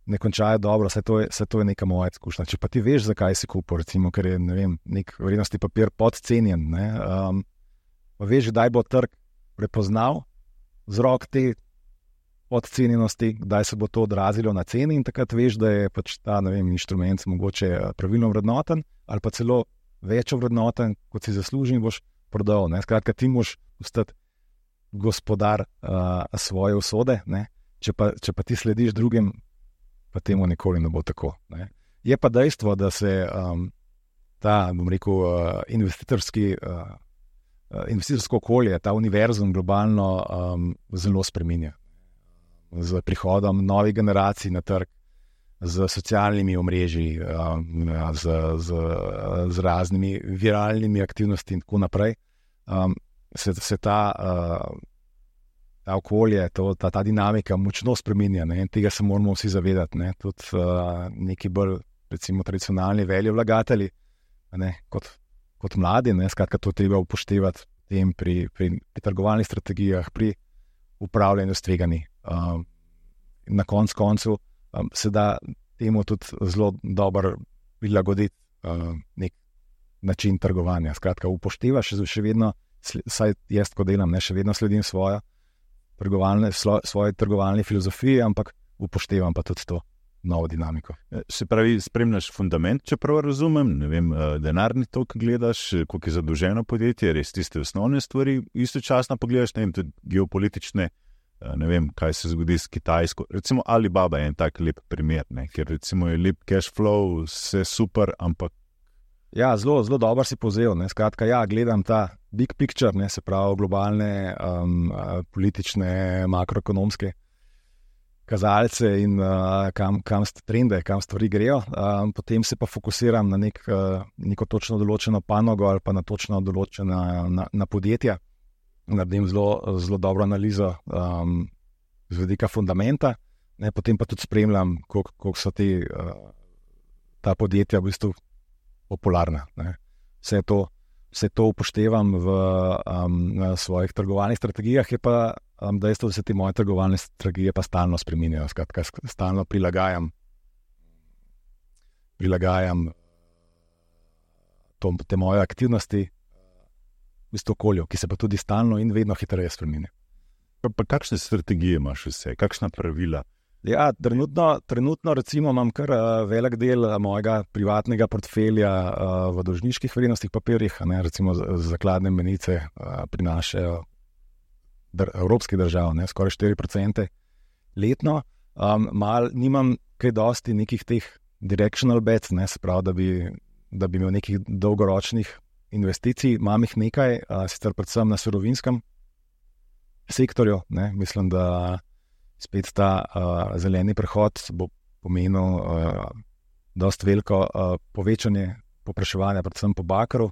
ne končajo dobro, vse to je, vse to je neka moja izkušnja. Če pa ti veš, zakaj si kupil, recimo, ker je ne vem, nek vrednostni papir podcenjen, ne, um, pa veš, kdaj bo trg prepoznal vzrok te podcenjenosti, kdaj se bo to odrazilo na ceni in takrat veš, da je pač ta ne vem, inštrument mogoče pravilno vrednoten ali pa celo več vrednoten, kot si zasluži in boš prodal. Ne. Skratka, ti moraš postati gospodar uh, svoje usode, ne. Če pa, če pa ti slediš drugim, pa temu nikoli ne bo tako. Ne. Je pa dejstvo, da se um, ta, bom rekel, uh, investitorski, uh, uh, investitorsko okolje, ta univerzum globalno um, zelo spreminja. Z prihodom novih generacij na trg, z socialnimi omrežji, um, z, z, z raznimi viralnimi aktivnostmi in tako naprej, um, se, se ta uh, ta okolje, to, ta, ta dinamika močno spreminja, ne, in tega se moramo vsi zavedati, ne, tudi uh, neki bolj, recimo, tradicionalni velji vlagatelji, ne, kot, kot mladi, ne, skratka, to treba upoštevati tem pri, pri, pri trgovalnih strategijah, pri upravljanju s tveganji. Um, na koncu koncu um, se da temu tudi zelo dobro prilagoditi uh, nek način trgovanja. Skratka, upoštevaš še vedno, saj jaz, ko delam, ne, še vedno sledim svojo Trgovalne, svoje trgovalne filozofije, ampak upoštevam pa tudi to novo dinamiko. Se pravi, spremljaš fundament, če prav razumem, ne vem, denarni tok gledaš, koliko je zadolženo podjetje, res tiste osnovne stvari, istočasno pogledaš, ne vem, tudi geopolitične, ne vem, kaj se zgodi s Kitajsko. Recimo Alibaba je en tak lep primer, ne, ker recimo je lep cash flow, vse super, ampak Ja, zelo, zelo dobro si povzel. Ne. Skratka, ja, gledam ta big picture, ne, se pravi globalne, um, politične, makroekonomske kazalce in uh, kam, kam trende, kam stvari grejo. Um, potem se pa fokusiram na nek, uh, neko točno določeno panogo ali pa na točno določena na, na podjetja. Naredim zelo, zelo dobro analizo um, z vidika fundamenta, ne, potem pa tudi spremljam, koliko, koliko so te, uh, ta podjetja v bistvu popularna. Ne. Vse to, vse to upoštevam v um, svojih trgovalnih strategijah, je pa um, dejstvo, da se te moje trgovalne strategije pa stalno spreminjajo. Skratka, stalno prilagajam, prilagajam to, te moje aktivnosti v bistvu okolju, ki se pa tudi stalno in vedno hitreje spreminja. Pa, pa kakšne strategije imaš vse? Kakšna pravila? Ja, trenutno, trenutno recimo imam kar uh, velik del uh, mojega privatnega portfelja uh, v dolžniških vrednostnih papirjih, ne, recimo zakladne menice uh, prinašajo dr evropskih držav, ne, skoraj štiri procente letno. Um, mal nimam kaj dosti nekih teh directional bets, ne, se pravi, da bi, da bi imel nekih dolgoročnih investicij, imam jih nekaj, uh, sicer predvsem na surovinskem sektorju, ne, mislim, da spet ta uh, zeleni prehod bo pomenil uh, dosti veliko uh, povečanje povpraševanja, predvsem po bakru.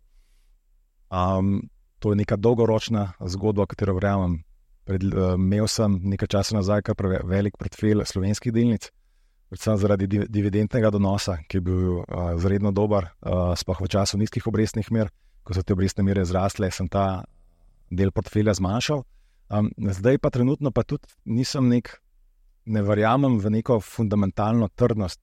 Um, to je neka dolgoročna zgodba, katero verjamem. Pred, uh, imel sem nekaj časa nazaj kar velik portfelj slovenskih delnic, predvsem zaradi div dividendnega donosa, ki je bil uh, zredno dober, uh, sploh v času nizkih obrestnih mer. Ko so te obrestne mere zrastle, sem ta del portfelja zmanjšal. Um, zdaj pa trenutno pa tudi nisem nek, ne verjamem v neko fundamentalno trdnost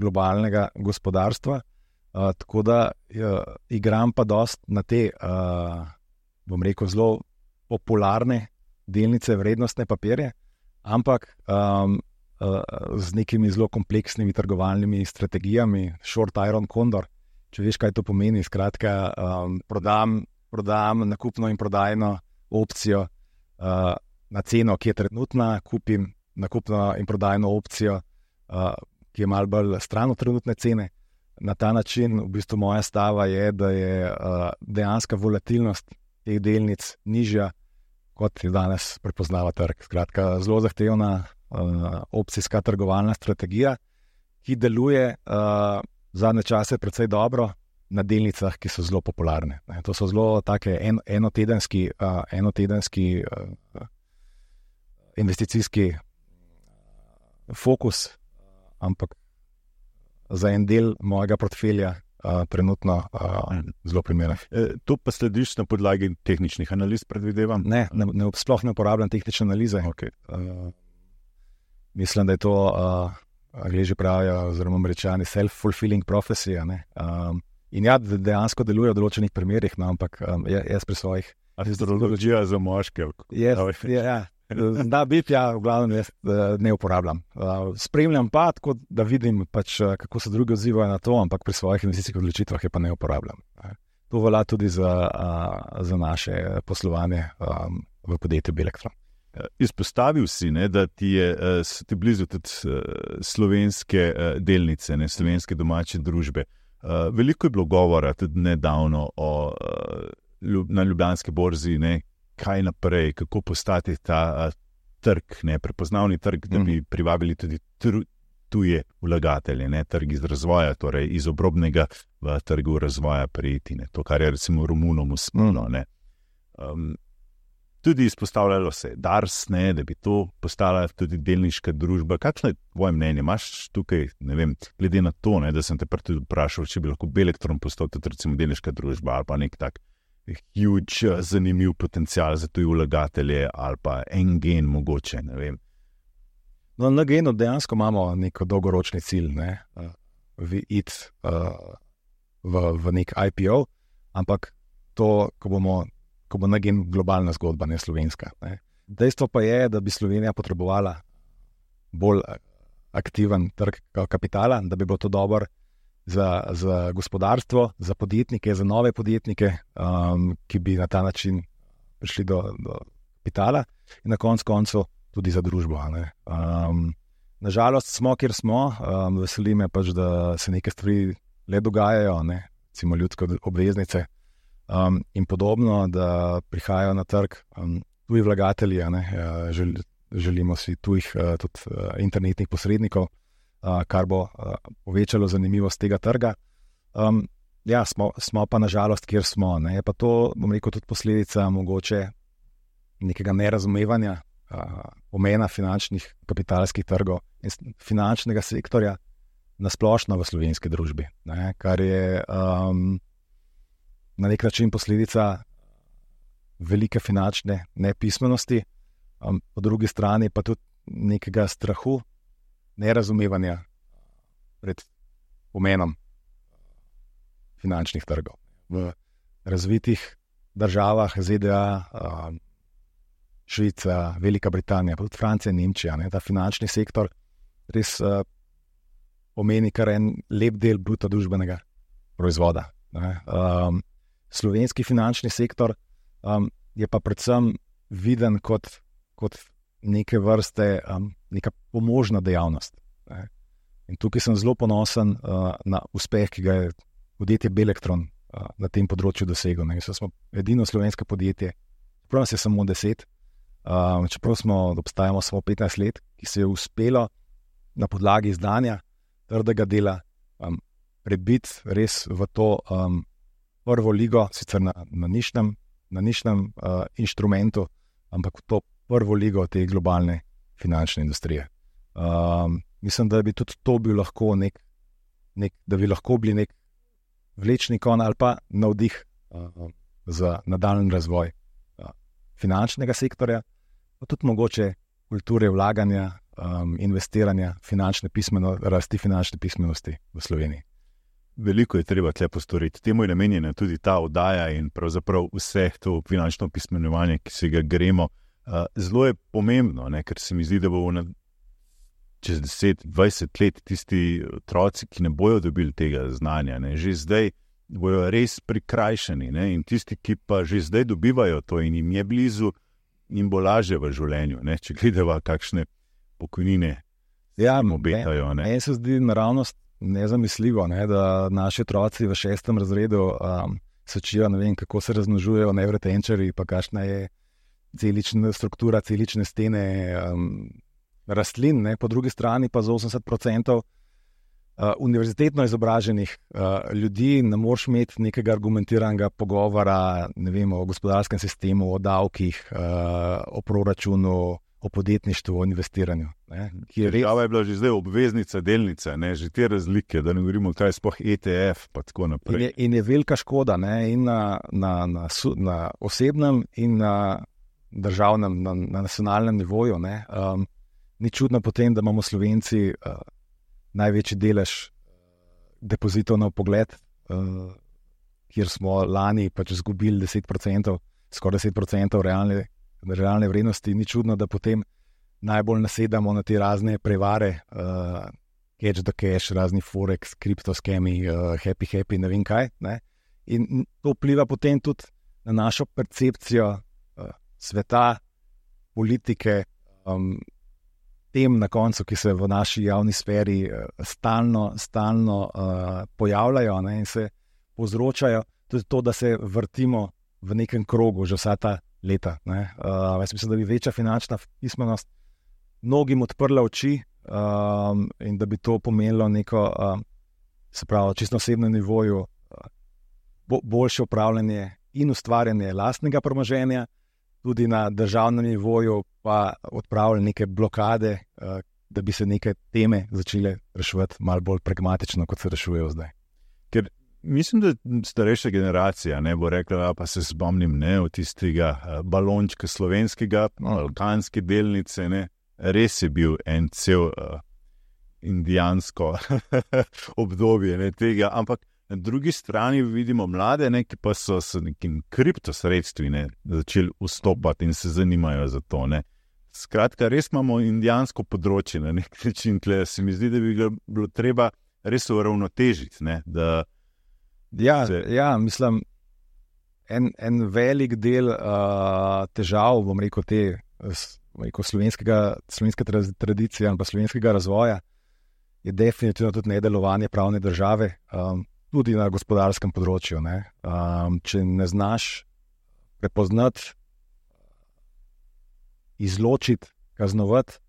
globalnega gospodarstva, uh, tako da uh, igram pa dost na te, uh, bom rekel, zelo popularne delnice, vrednostne papirje, ampak um, uh, z nekimi zelo kompleksnimi trgovalnimi strategijami, short iron condor, če veš, kaj to pomeni, skratka, um, prodam, prodam nakupno in prodajno opcijo Uh, na ceno, ki je trenutna, kupim nakupno in prodajno opcijo, uh, ki je malo bolj stran od trenutne cene. Na ta način, v bistvu moja stava je, da je uh, dejanska volatilnost teh delnic nižja, kot je danes prepoznava trg. Skratka, zelo zahtevna uh, opcijska trgovalna strategija, ki deluje uh, zadnje čase precej dobro na delnicah, ki so zelo popularne. Ne, to so zelo take en, enotedenski, uh, enotedenski uh, investicijski fokus, ampak za en del mojega portfelja uh, trenutno uh, zelo primeren. E, to pa slediš na podlagi tehničnih analiz, predvidevam? Ne, ne, ne sploh ne uporabljam tehnične analize. Okay. Uh, mislim, da je to uh, Angliji pravijo, oziroma Američani, self-fulfilling prophecy. Um, in ja, dejansko deluje v določenih primerih, no, ampak um, jaz pri svojih. Astrologija za moške. Yes, ja, ja. Da, biti, ja, v glavnem jaz ne uporabljam. Spremljam pa, tako da vidim, pač, kako se drugi odzivajo na to, ampak pri svojih investicijskih odločitvah je pa ne uporabljam. To velja tudi za, za naše poslovanje um, v podjetju Belektron. Izpostavil si, ne, da ti je, so ti blizu tudi slovenske delnice, ne, slovenske domače družbe. Veliko je bilo govora tudi nedavno o, na Ljubljanski borzi, ne, kaj naprej, kako postati ta uh, trg, ne, prepoznavni trg, da bi privabili tudi tr, tuje vlagatelje, ne, trg iz razvoja, torej iz obrobnega v trgu razvoja prejeti, ne, to, kar je recimo Romunom uspelo. Ne. Um, tudi izpostavljalo se je Dars, ne, da bi to postala tudi delniška družba. Kakšno je tvoje mnenje? Imaš tukaj, ne vem, glede na to, ne, da sem te tudi vprašal, če bi lahko Belektron postal tudi recimo delniška družba ali pa nek tak huge, zanimiv potencial za tuje vlagatelje ali pa en gen mogoče, ne vem. No, na genu dejansko imamo neko dolgoročni cilj, ne, v it uh, v, v nek I P O, ampak to, ko bomo, ko bo na gen globalna zgodba, ne slovenska. Ne. Dejstvo pa je, da bi Slovenija potrebovala bolj aktiven trg kapitala, da bi bilo to dobro Za, za gospodarstvo, za podjetnike, za nove podjetnike, um, ki bi na ta način prišli do, do kapitala in na koncu koncev tudi za družbo. Um, nažalost smo, kjer smo, um, veseli me pač, da se neke stvari le dogajajo, ne? Recimo ljudske obveznice um, in podobno, da prihajajo na trg um, tuji vlagatelji, ne? Žel, želimo si tujih uh, tudi uh, internetnih posrednikov, Uh, kar bo uh, povečalo zanimivost tega trga. Um, ja, smo, smo pa nažalost, kjer smo. Ne? Je pa to, bom rekel, tudi posledica mogoče nekega nerazumevanja uh, pomena finančnih kapitalskih trgov in finančnega sektorja nasplošno v slovenski družbi, ne? Kar je um, na nek način posledica velike finančne nepismenosti, um, po drugi strani pa tudi nekega strahu, nerazumevanja pred pomenom finančnih trgov. V razvitih državah Z D A, Švica, Velika Britanija, pa tudi Francija in Nemčija, ne, ta finančni sektor res uh, pomeni kar en lep del bruto družbenega proizvoda. Ne. Um, slovenski finančni sektor um, je pa predvsem viden kot, kot neke vrste, um, neka pomožna dejavnost. Ne. In tukaj sem zelo ponosen uh, na uspeh, ki ga je podjetje Belektron uh, na tem področju doseglo. Ne. Smo edino slovensko podjetje, čeprav nas je samo deset, um, čeprav smo obstajamo samo petnajst let, ki se je uspelo na podlagi izdanja trdega dela um, prebiti res v to um, prvo ligo, sicer na, na nišnem, na nišnem uh, inštrumentu, ampak v to prvo ligo te globalne finančne industrije. Um, mislim, da bi tudi to bil lahko nek, nek, da bi lahko bili nek vlečni kon ali pa navdih uh, za nadaljnji razvoj uh, finančnega sektorja, pa tudi mogoče kulture vlaganja, um, investiranja, finančne pismeno, rasti finančne pismenosti v Sloveniji. Veliko je treba tle postoriti. Temu je namenjena tudi ta oddaja in pravzaprav vse to finančno pismenovanje, ki se ga gremo. Uh, zelo je pomembno, ne, ker se mi zdi, da bo na, čez deset, dvajset let tisti otroci, ki ne bojo dobili tega znanja, ne, že zdaj bojo res prikrajšani, ne, in tisti, ki pa že zdaj dobivajo to in jim je blizu, jim bo lažje v življenju, ne, če gledava kakšne pokojnine ja, jim obetajo. Meni se zdi naravnost nezamisljivo, ne, da naši otroci v šestem razredu um, se učijo, ne vem, kako se razmnožujejo nevrotenčarji, pa kakšna je celična struktura, celične stene um, rastlin, ne, po drugi strani pa za osemdeset procentov uh, univerzitetno izobraženih uh, ljudi ne moreš imeti nekega argumentiranega pogovora, ne vem, o gospodarskem sistemu, o davkih, uh, o proračunu, o podjetništvu, o investiranju. Ne, ki je res... Težava je bila že zdaj obveznica, delnica, ne, že te razlike, da ne govorimo, kaj je sploh E T F, pa tako naprej. In je, in je velika škoda, ne, in na, na, na, na osebnem in na državnem, na, na nacionalnem nivoju. Ne, um, ni čudno potem, da imamo Slovenci uh, največji delež depozitov na vpogled, uh, kjer smo lani pač izgubili deset procentov, skoraj deset procentov realne, realne vrednosti. Ni čudno, da potem najbolj nasedamo na te razne prevare, uh, catch the cash, razni forex, kriptoskemi, uh, happy happy, ne vem kaj. Ne? In to vpliva potem tudi na našo percepcijo uh, sveta, politike, um, tem na koncu, ki se v naši javni sferi uh, stalno, stalno uh, pojavljajo, ne, in se povzročajo tudi to, da se vrtimo v nekem krogu že vsa ta leta. Ne. Uh, jaz mislim, da bi večja finančna pismenost mnogim odprla oči um, in da bi to pomenilo neko, uh, se pravi, čisto osebnem nivoju, uh, bo, boljše upravljanje in ustvarjanje lastnega premoženja, tudi na državnem nivoju pa odpravljali neke blokade, da bi se neke teme začele reševati malo bolj pragmatično, kot se rešujejo zdaj. Ker mislim, da starejša generacija ne bo rekla, pa se spomnim ne, od tistega balončka slovenskega, balkanske delnice, ne, res je bil en cel uh, indijansko obdobje ne, tega, ampak na drugi strani vidimo mlade, ne, ki pa so s nekim kriptosredstvi ne, začeli vstopati in se zanimajo za to. Ne. Skratka, res imamo indijansko področje na nek način, tle se mi zdi, da bi ga bilo treba res uravnotežiti. Ne, da ja, se... ja, mislim, en, en velik del uh, težav, bom rekel, te bom rekel, slovenskega, slovenske tradicije in pa slovenskega razvoja je definitivno tudi nedelovanje pravne države, um, tudi na gospodarskem področju. Ne. Um, če ne znaš prepoznati, izločiti, kaznovati,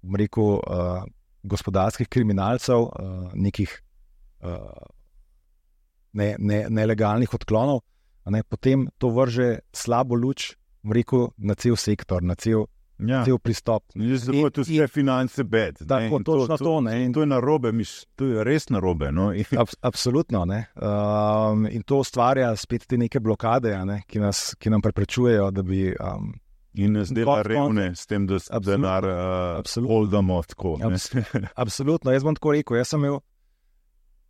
bom rekel, uh, gospodarskih kriminalcev, uh, nekih uh, ne, ne, nelegalnih odklonov, ne, potem to vrže slabo luč, bom rekel, na cel sektor, na cel, ja. cel pristop. Zato je vse finance bed. Tako, točno to. Ne, in to je narobe, to je res narobe. No? Ab, absolutno. Ne. Um, in to ustvarja spet te neke blokade, ne, ki, nas, ki nam preprečujejo, da bi... Um, in nas dela revne s tem, da se denar uh, holdamo tako. Abs, absolutno. Jaz bom tako rekel, jaz sem imel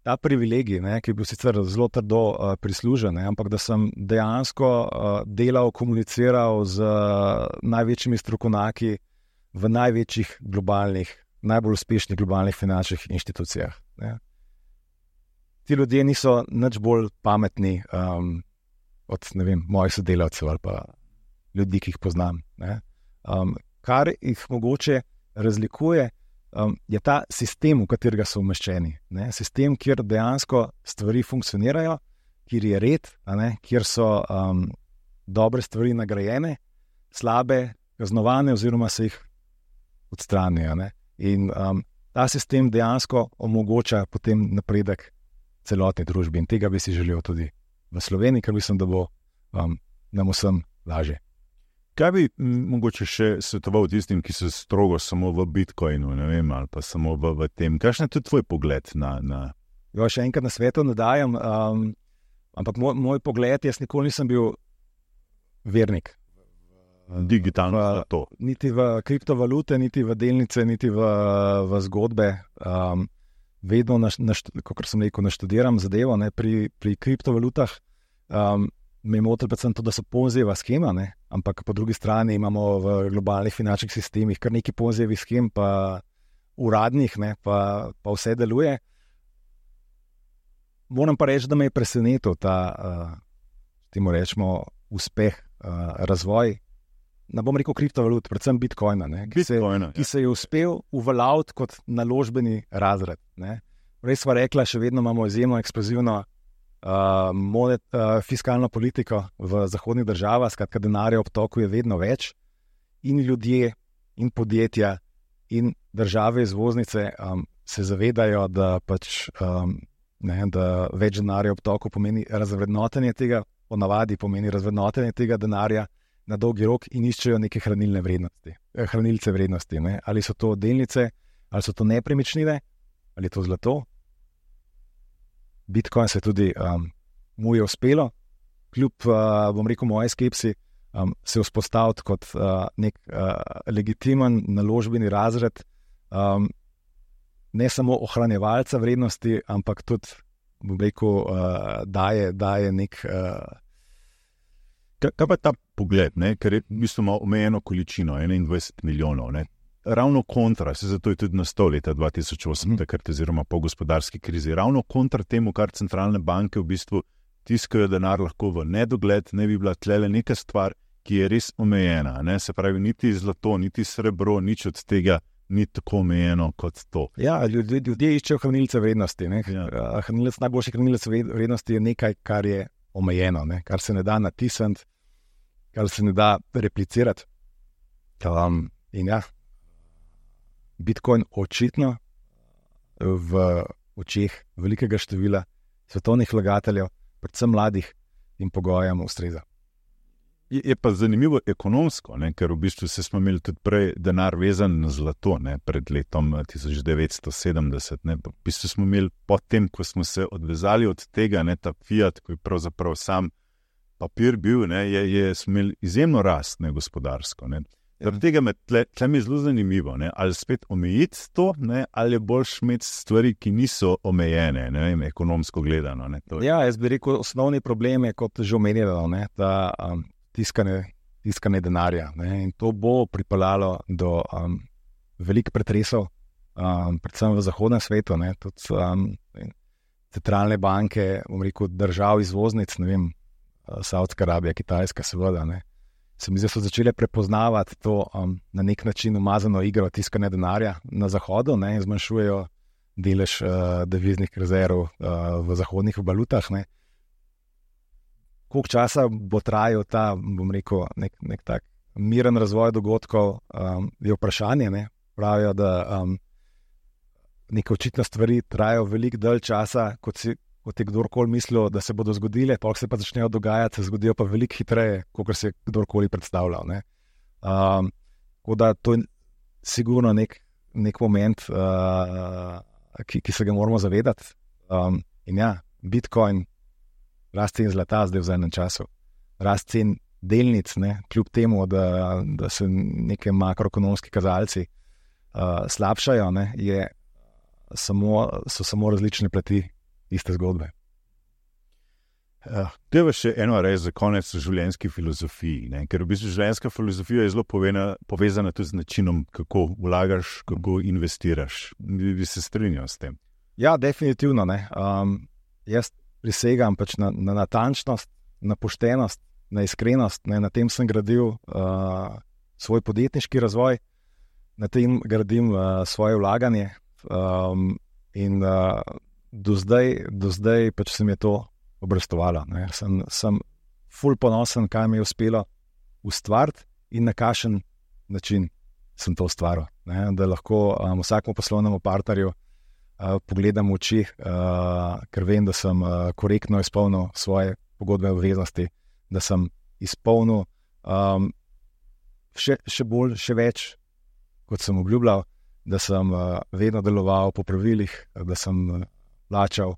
ta privilegij, ne, ki je bil sicer zelo trdo uh, prislužen, ne, ampak da sem dejansko uh, delal, komuniciral z uh, največjimi strokovnjaki v največjih globalnih, najbolj uspešnih globalnih finančnih inštitucijah. Ne. Ti ljudje niso nič bolj pametni um, od, ne vem, mojih sodelavcev ali pa ljudi, ki jih poznam. Ne. Um, kar jih mogoče razlikuje, Um, je ta sistem, v katerega so umeščeni. Ne? Sistem, kjer dejansko stvari funkcionirajo, kjer je red, a ne? Kjer so um, dobre stvari nagrajene, slabe kaznovane oziroma se jih odstranijo. Ne? In um, ta sistem dejansko omogoča potem napredek celotni družbi in tega bi si želel tudi v Sloveniji, ker mislim, da bo um, nam vsem lažje. Kaj bi mogoče še svetoval tistim, ki so strogo samo v Bitcoinu, ne vem, ali pa samo v, v tem? Kakšen je tudi tvoj pogled na... na... Jo, še enkrat na svetu ne dajem, um, ampak moj, moj pogled, jaz nikoli nisem bil vernik. Digitalno zlato. Niti v kriptovalute, niti v delnice, niti v, v zgodbe. Um, vedno, kot sem rekel, naštudiram zadevo, ne, pri, pri kriptovalutah. Um, Me je motil predvsem to, da so ponzijeva schema, ne? Ampak po drugi strani imamo v globalnih finančnih sistemih kar nekaj ponzijevih schem, pa uradnih, ne? Pa, pa vse deluje. Moram pa reči, da me je presenetil ta, uh, temu rečemo, uspeh, uh, razvoj, ne bom rekel kriptovalut, predvsem Bitcoina, ne? Ki, Bitcoina se, ki se je uspel uveljaviti kot naložbeni razred. Ne? Res sva rekla, še vedno imamo izjemno eksplozivno Uh, monet, uh, fiskalno politiko v zahodnih državah, skratka denarja v obtoku je vedno več in ljudje in podjetja in države izvoznice um, se zavedajo, da pač um, ne, da več denarja v obtoku pomeni razvrednotenje tega, ponavadi pomeni razvrednotenje tega denarja na dolgi rok in iščejo neke hranilne vrednosti, eh, hranilce vrednosti. Ne? Ali so to delnice, ali so to nepremičnine, ali je to zlato. Bitcoin se tudi um, mu je uspelo, kljub, uh, bom rekel, moje skepsi, um, se vzpostaviti kot uh, nek uh, legitimen naložbeni razred. Um, ne samo ohranjevalca vrednosti, ampak tudi, bom rekel, uh, daje, daje nek. Uh... Kaj, kaj pa ta pogled, ne? Ker je v bistvu ima omejeno količino, enaindvajset milijonov. Ne? Ravno kontra, se zato je tudi nastal leta dva tisoč osem, mm. takrat oziroma po gospodarski krizi, ravno kontra temu, kar centralne banke v bistvu tiskajo denar lahko v nedogled, ne bi bila tlele neka stvar, ki je res omejena. Ne? Se pravi, niti zlato, niti srebro, nič od tega ni tako omejeno kot to. Ja, ljudje, ljudje iščejo hranilce vrednosti. Ja. Hranilec, najboljši hranilec vrednosti je nekaj, kar je omejeno, ne? Kar se ne da natisniti, kar se ne da replicirati. Um, in ja, Bitcoin očitno v očeh velikega števila svetovnih vlagateljev, predvsem mladih in pogojem ustreza. Je, je pa zanimivo ekonomsko, ne? Ker v bistvu se smo imeli tudi prej denar vezan na zlato, ne? Pred letom tisoč devetsto sedemdeset. Ne? V bistvu smo imeli potem, ko smo se odvezali od tega, ne? Ta fiat, ko je pravzaprav sam papir bil, ne? Je, je, smo imeli izjemno rast, ne? Gospodarsko. Ne? Zaradi tega me tle, tle mi je zelo zanimivo, ne? Ali spet omejiti to, ne? Ali je boljš imeti stvari, ki niso omejene, ne vem, ekonomsko gledano. Ne? Je... Ja, jaz bi rekel, osnovni problem je, kot že omenjeno, ne? Da um, tiskanje, tiskanje denarja. Ne? In to bo pripeljalo do um, velikih pretresov, um, predvsem v zahodnem svetu, ne? Tudi um, centralne banke, bom rekel, držav izvoznic, ne vem, Saudska Arabija, Kitajska, seveda, ne? Se mi zdi, so začele prepoznavati to um, na nek način umazano igro tiskanja denarja na zahodu, ne, in zmanjšujejo delež uh, deviznih rezerv uh, v zahodnih valutah. Ne. Koliko časa bo trajal ta, bom rekel, nek, nek tak miren razvoj dogodkov, um, je vprašanje. Ne. Pravijo, da um, neke očitne stvari trajajo veliko dalj časa, kot si kot je kdorkoli mislil, da se bodo zgodile, pa se pa začnejo dogajati, se zgodijo pa veliko hitreje, kot se je kdorkoli predstavljal. Ne. Um, tako da to je sigurno nek, nek moment, uh, ki, ki se ga moramo zavedati. Um, in ja, Bitcoin, rast cen zlata zdaj v zadnjem času, rast cen delnic, ne, kljub temu, da, da se neke makroekonomski kazalci uh, slabšajo, ne, je samo, so samo različne plati iste zgodbe. Uh, Deva še eno res za konec v življenjski filozofiji, ne? Ker v bistvu življenjska filozofija je zelo povena, povezana tudi z načinom, kako vlagaš, kako investiraš. Bi, bi se strinjal s tem? Ja, definitivno. Ne? Um, jaz prisegam pač na, na natančnost, na poštenost, na iskrenost. Ne? Na tem sem gradil uh, svoj podjetniški razvoj, na tem gradim uh, svoje vlaganje um, in uh, Do zdaj, do zdaj pač se mi je to obrestovalo. Ne. Sem, sem ful ponosen, kaj mi je uspelo ustvariti in na kakšen način sem to ustvaril. Ne. Da lahko um, vsakemu poslovnemu partnerju uh, pogledam v oči, uh, ker vem, da sem uh, korektno izpolnil svoje pogodbene obveznosti, da sem izpolnil um, še, še bolj, še več, kot sem obljubljal, da sem uh, vedno deloval po pravilih, da sem uh, plačal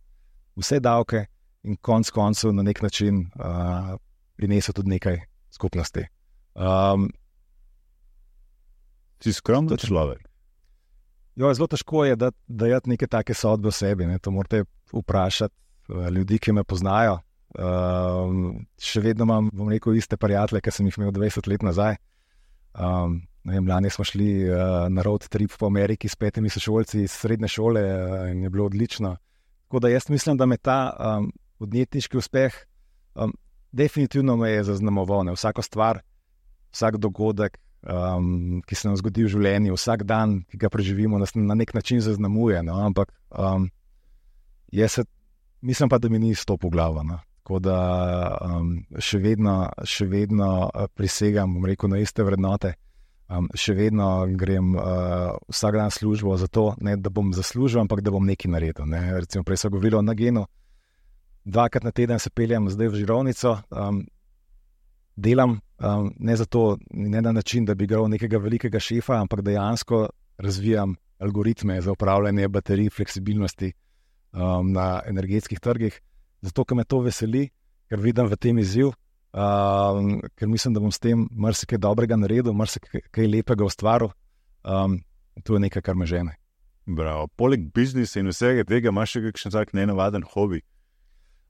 vse davke in konc koncev na nek način uh, prinesel tudi nekaj skupnosti. Um, si skromen človek? Jo, zelo težko je dati, dati neke take sodbe o sebi. Ne. To morate vprašati uh, ljudi, ki me poznajo. Um, še vedno imam, bom rekel, iste prijatelje, ki sem jih imel dvajset let nazaj. Um, ne vem, lani smo šli uh, na road trip po Ameriki s petimi sošolci iz srednje šole uh, in je bilo odlično. Tako da jaz mislim, da me ta um, podjetniški uspeh um, definitivno me je zaznamoval. Ne. Vsako stvar, vsak dogodek, um, ki se nam zgodi v življenju, vsak dan, ki ga preživimo, nas na nek način zaznamuje. No. Ampak um, jaz se, mislim pa, da mi ni stopil v glavo. No. Tako da um, še vedno, še vedno prisegam, bom rekel, na iste vrednote. Um, še vedno grem uh, vsak dan službo za to, ne da bom zaslužil, ampak da bom nekaj naredil. Ne. Recimo, prej so govorili o Nagenu, dvakrat na teden se peljem zdaj v Žirovnico, um, delam um, ne zato, ne na način, da bi igral nekega velikega šefa, ampak dejansko razvijam algoritme za upravljanje baterij, fleksibilnosti um, na energetskih trgih, zato, ker me to veseli, ker vidim v tem izziv. Um, ker mislim, da bom s tem marsikaj dobrega naredil, marsikaj lepega ustvaril. Um, to je nekaj, kar me žene. Bravo. Poleg biznisa in vsega tega imaš še kakšen tak nenavaden hobi?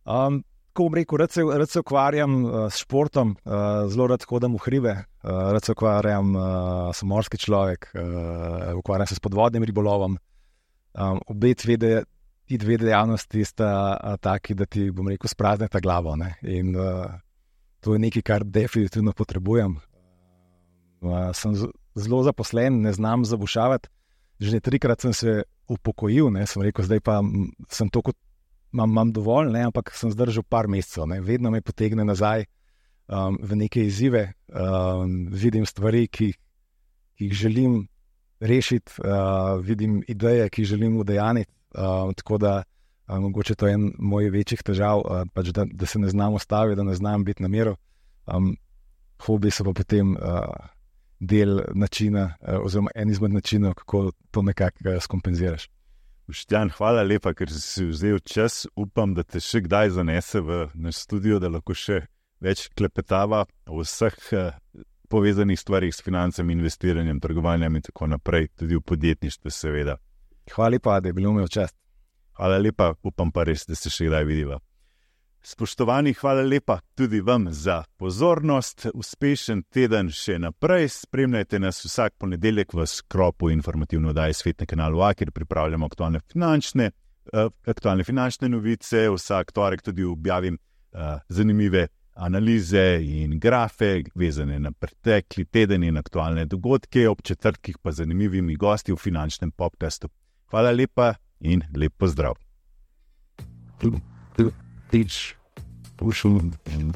Um, ko bom rekel, rad se, rad se ukvarjam uh, s športom, uh, zelo rad hodim v hribe, uh, rad se ukvarjam, uh, sem morski človek, uh, ukvarjam se s podvodnim ribolovom. Um, obe tvede, ti dve dejavnosti sta uh, taki, da ti, bom rekel, sprazneta glavo. Ne? In uh, to je nekaj, kar definitivno potrebujem. Uh, sem z, zelo zaposlen, ne znam zabušavati. Že trikrat sem se upokojil, ne? Sem rekel, zdaj pa sem to, kot imam, imam dovolj, ne? Ampak sem zdržal par mesecev. Ne? Vedno me potegne nazaj um, v neke izzive, um, vidim stvari, ki, ki jih želim rešiti, uh, vidim ideje, ki jih želim udejaniti. Uh, tako da uh, mogoče to je en mojih večjih težav, uh, pač da, da se ne znam ustaviti, da ne znam biti na miru. Um, hobi so pa potem uh, del načina, uh, oziroma en izmed načinov, kako to nekako uh, skompenziraš. Boštjan, hvala lepa, ker si vzel čas. Upam, da te še kdaj zanese v naš studio, da lahko še več klepetava o vseh uh, povezanih stvarih s financami, investiranjem, trgovanjem in tako naprej, tudi v podjetništvu seveda. Hvala lepa, da je bilo mi v čast. Hvala lepa, upam pa res, da se še kdaj vidiva. Spoštovani, hvala lepa tudi vam za pozornost. Uspešen teden še naprej. Spremljajte nas vsak ponedeljek v skropu informativno oddaji Svet na kanalu A, kjer pripravljamo aktualne finančne, uh, aktualne finančne novice. Vsak torek tudi objavim uh, zanimive analize in grafe, vezane na pretekli teden in aktualne dogodke, ob četrtkih pa zanimivimi gosti v finančnem podcastu. Hvala lepa in lep pozdrav. Teach, push, and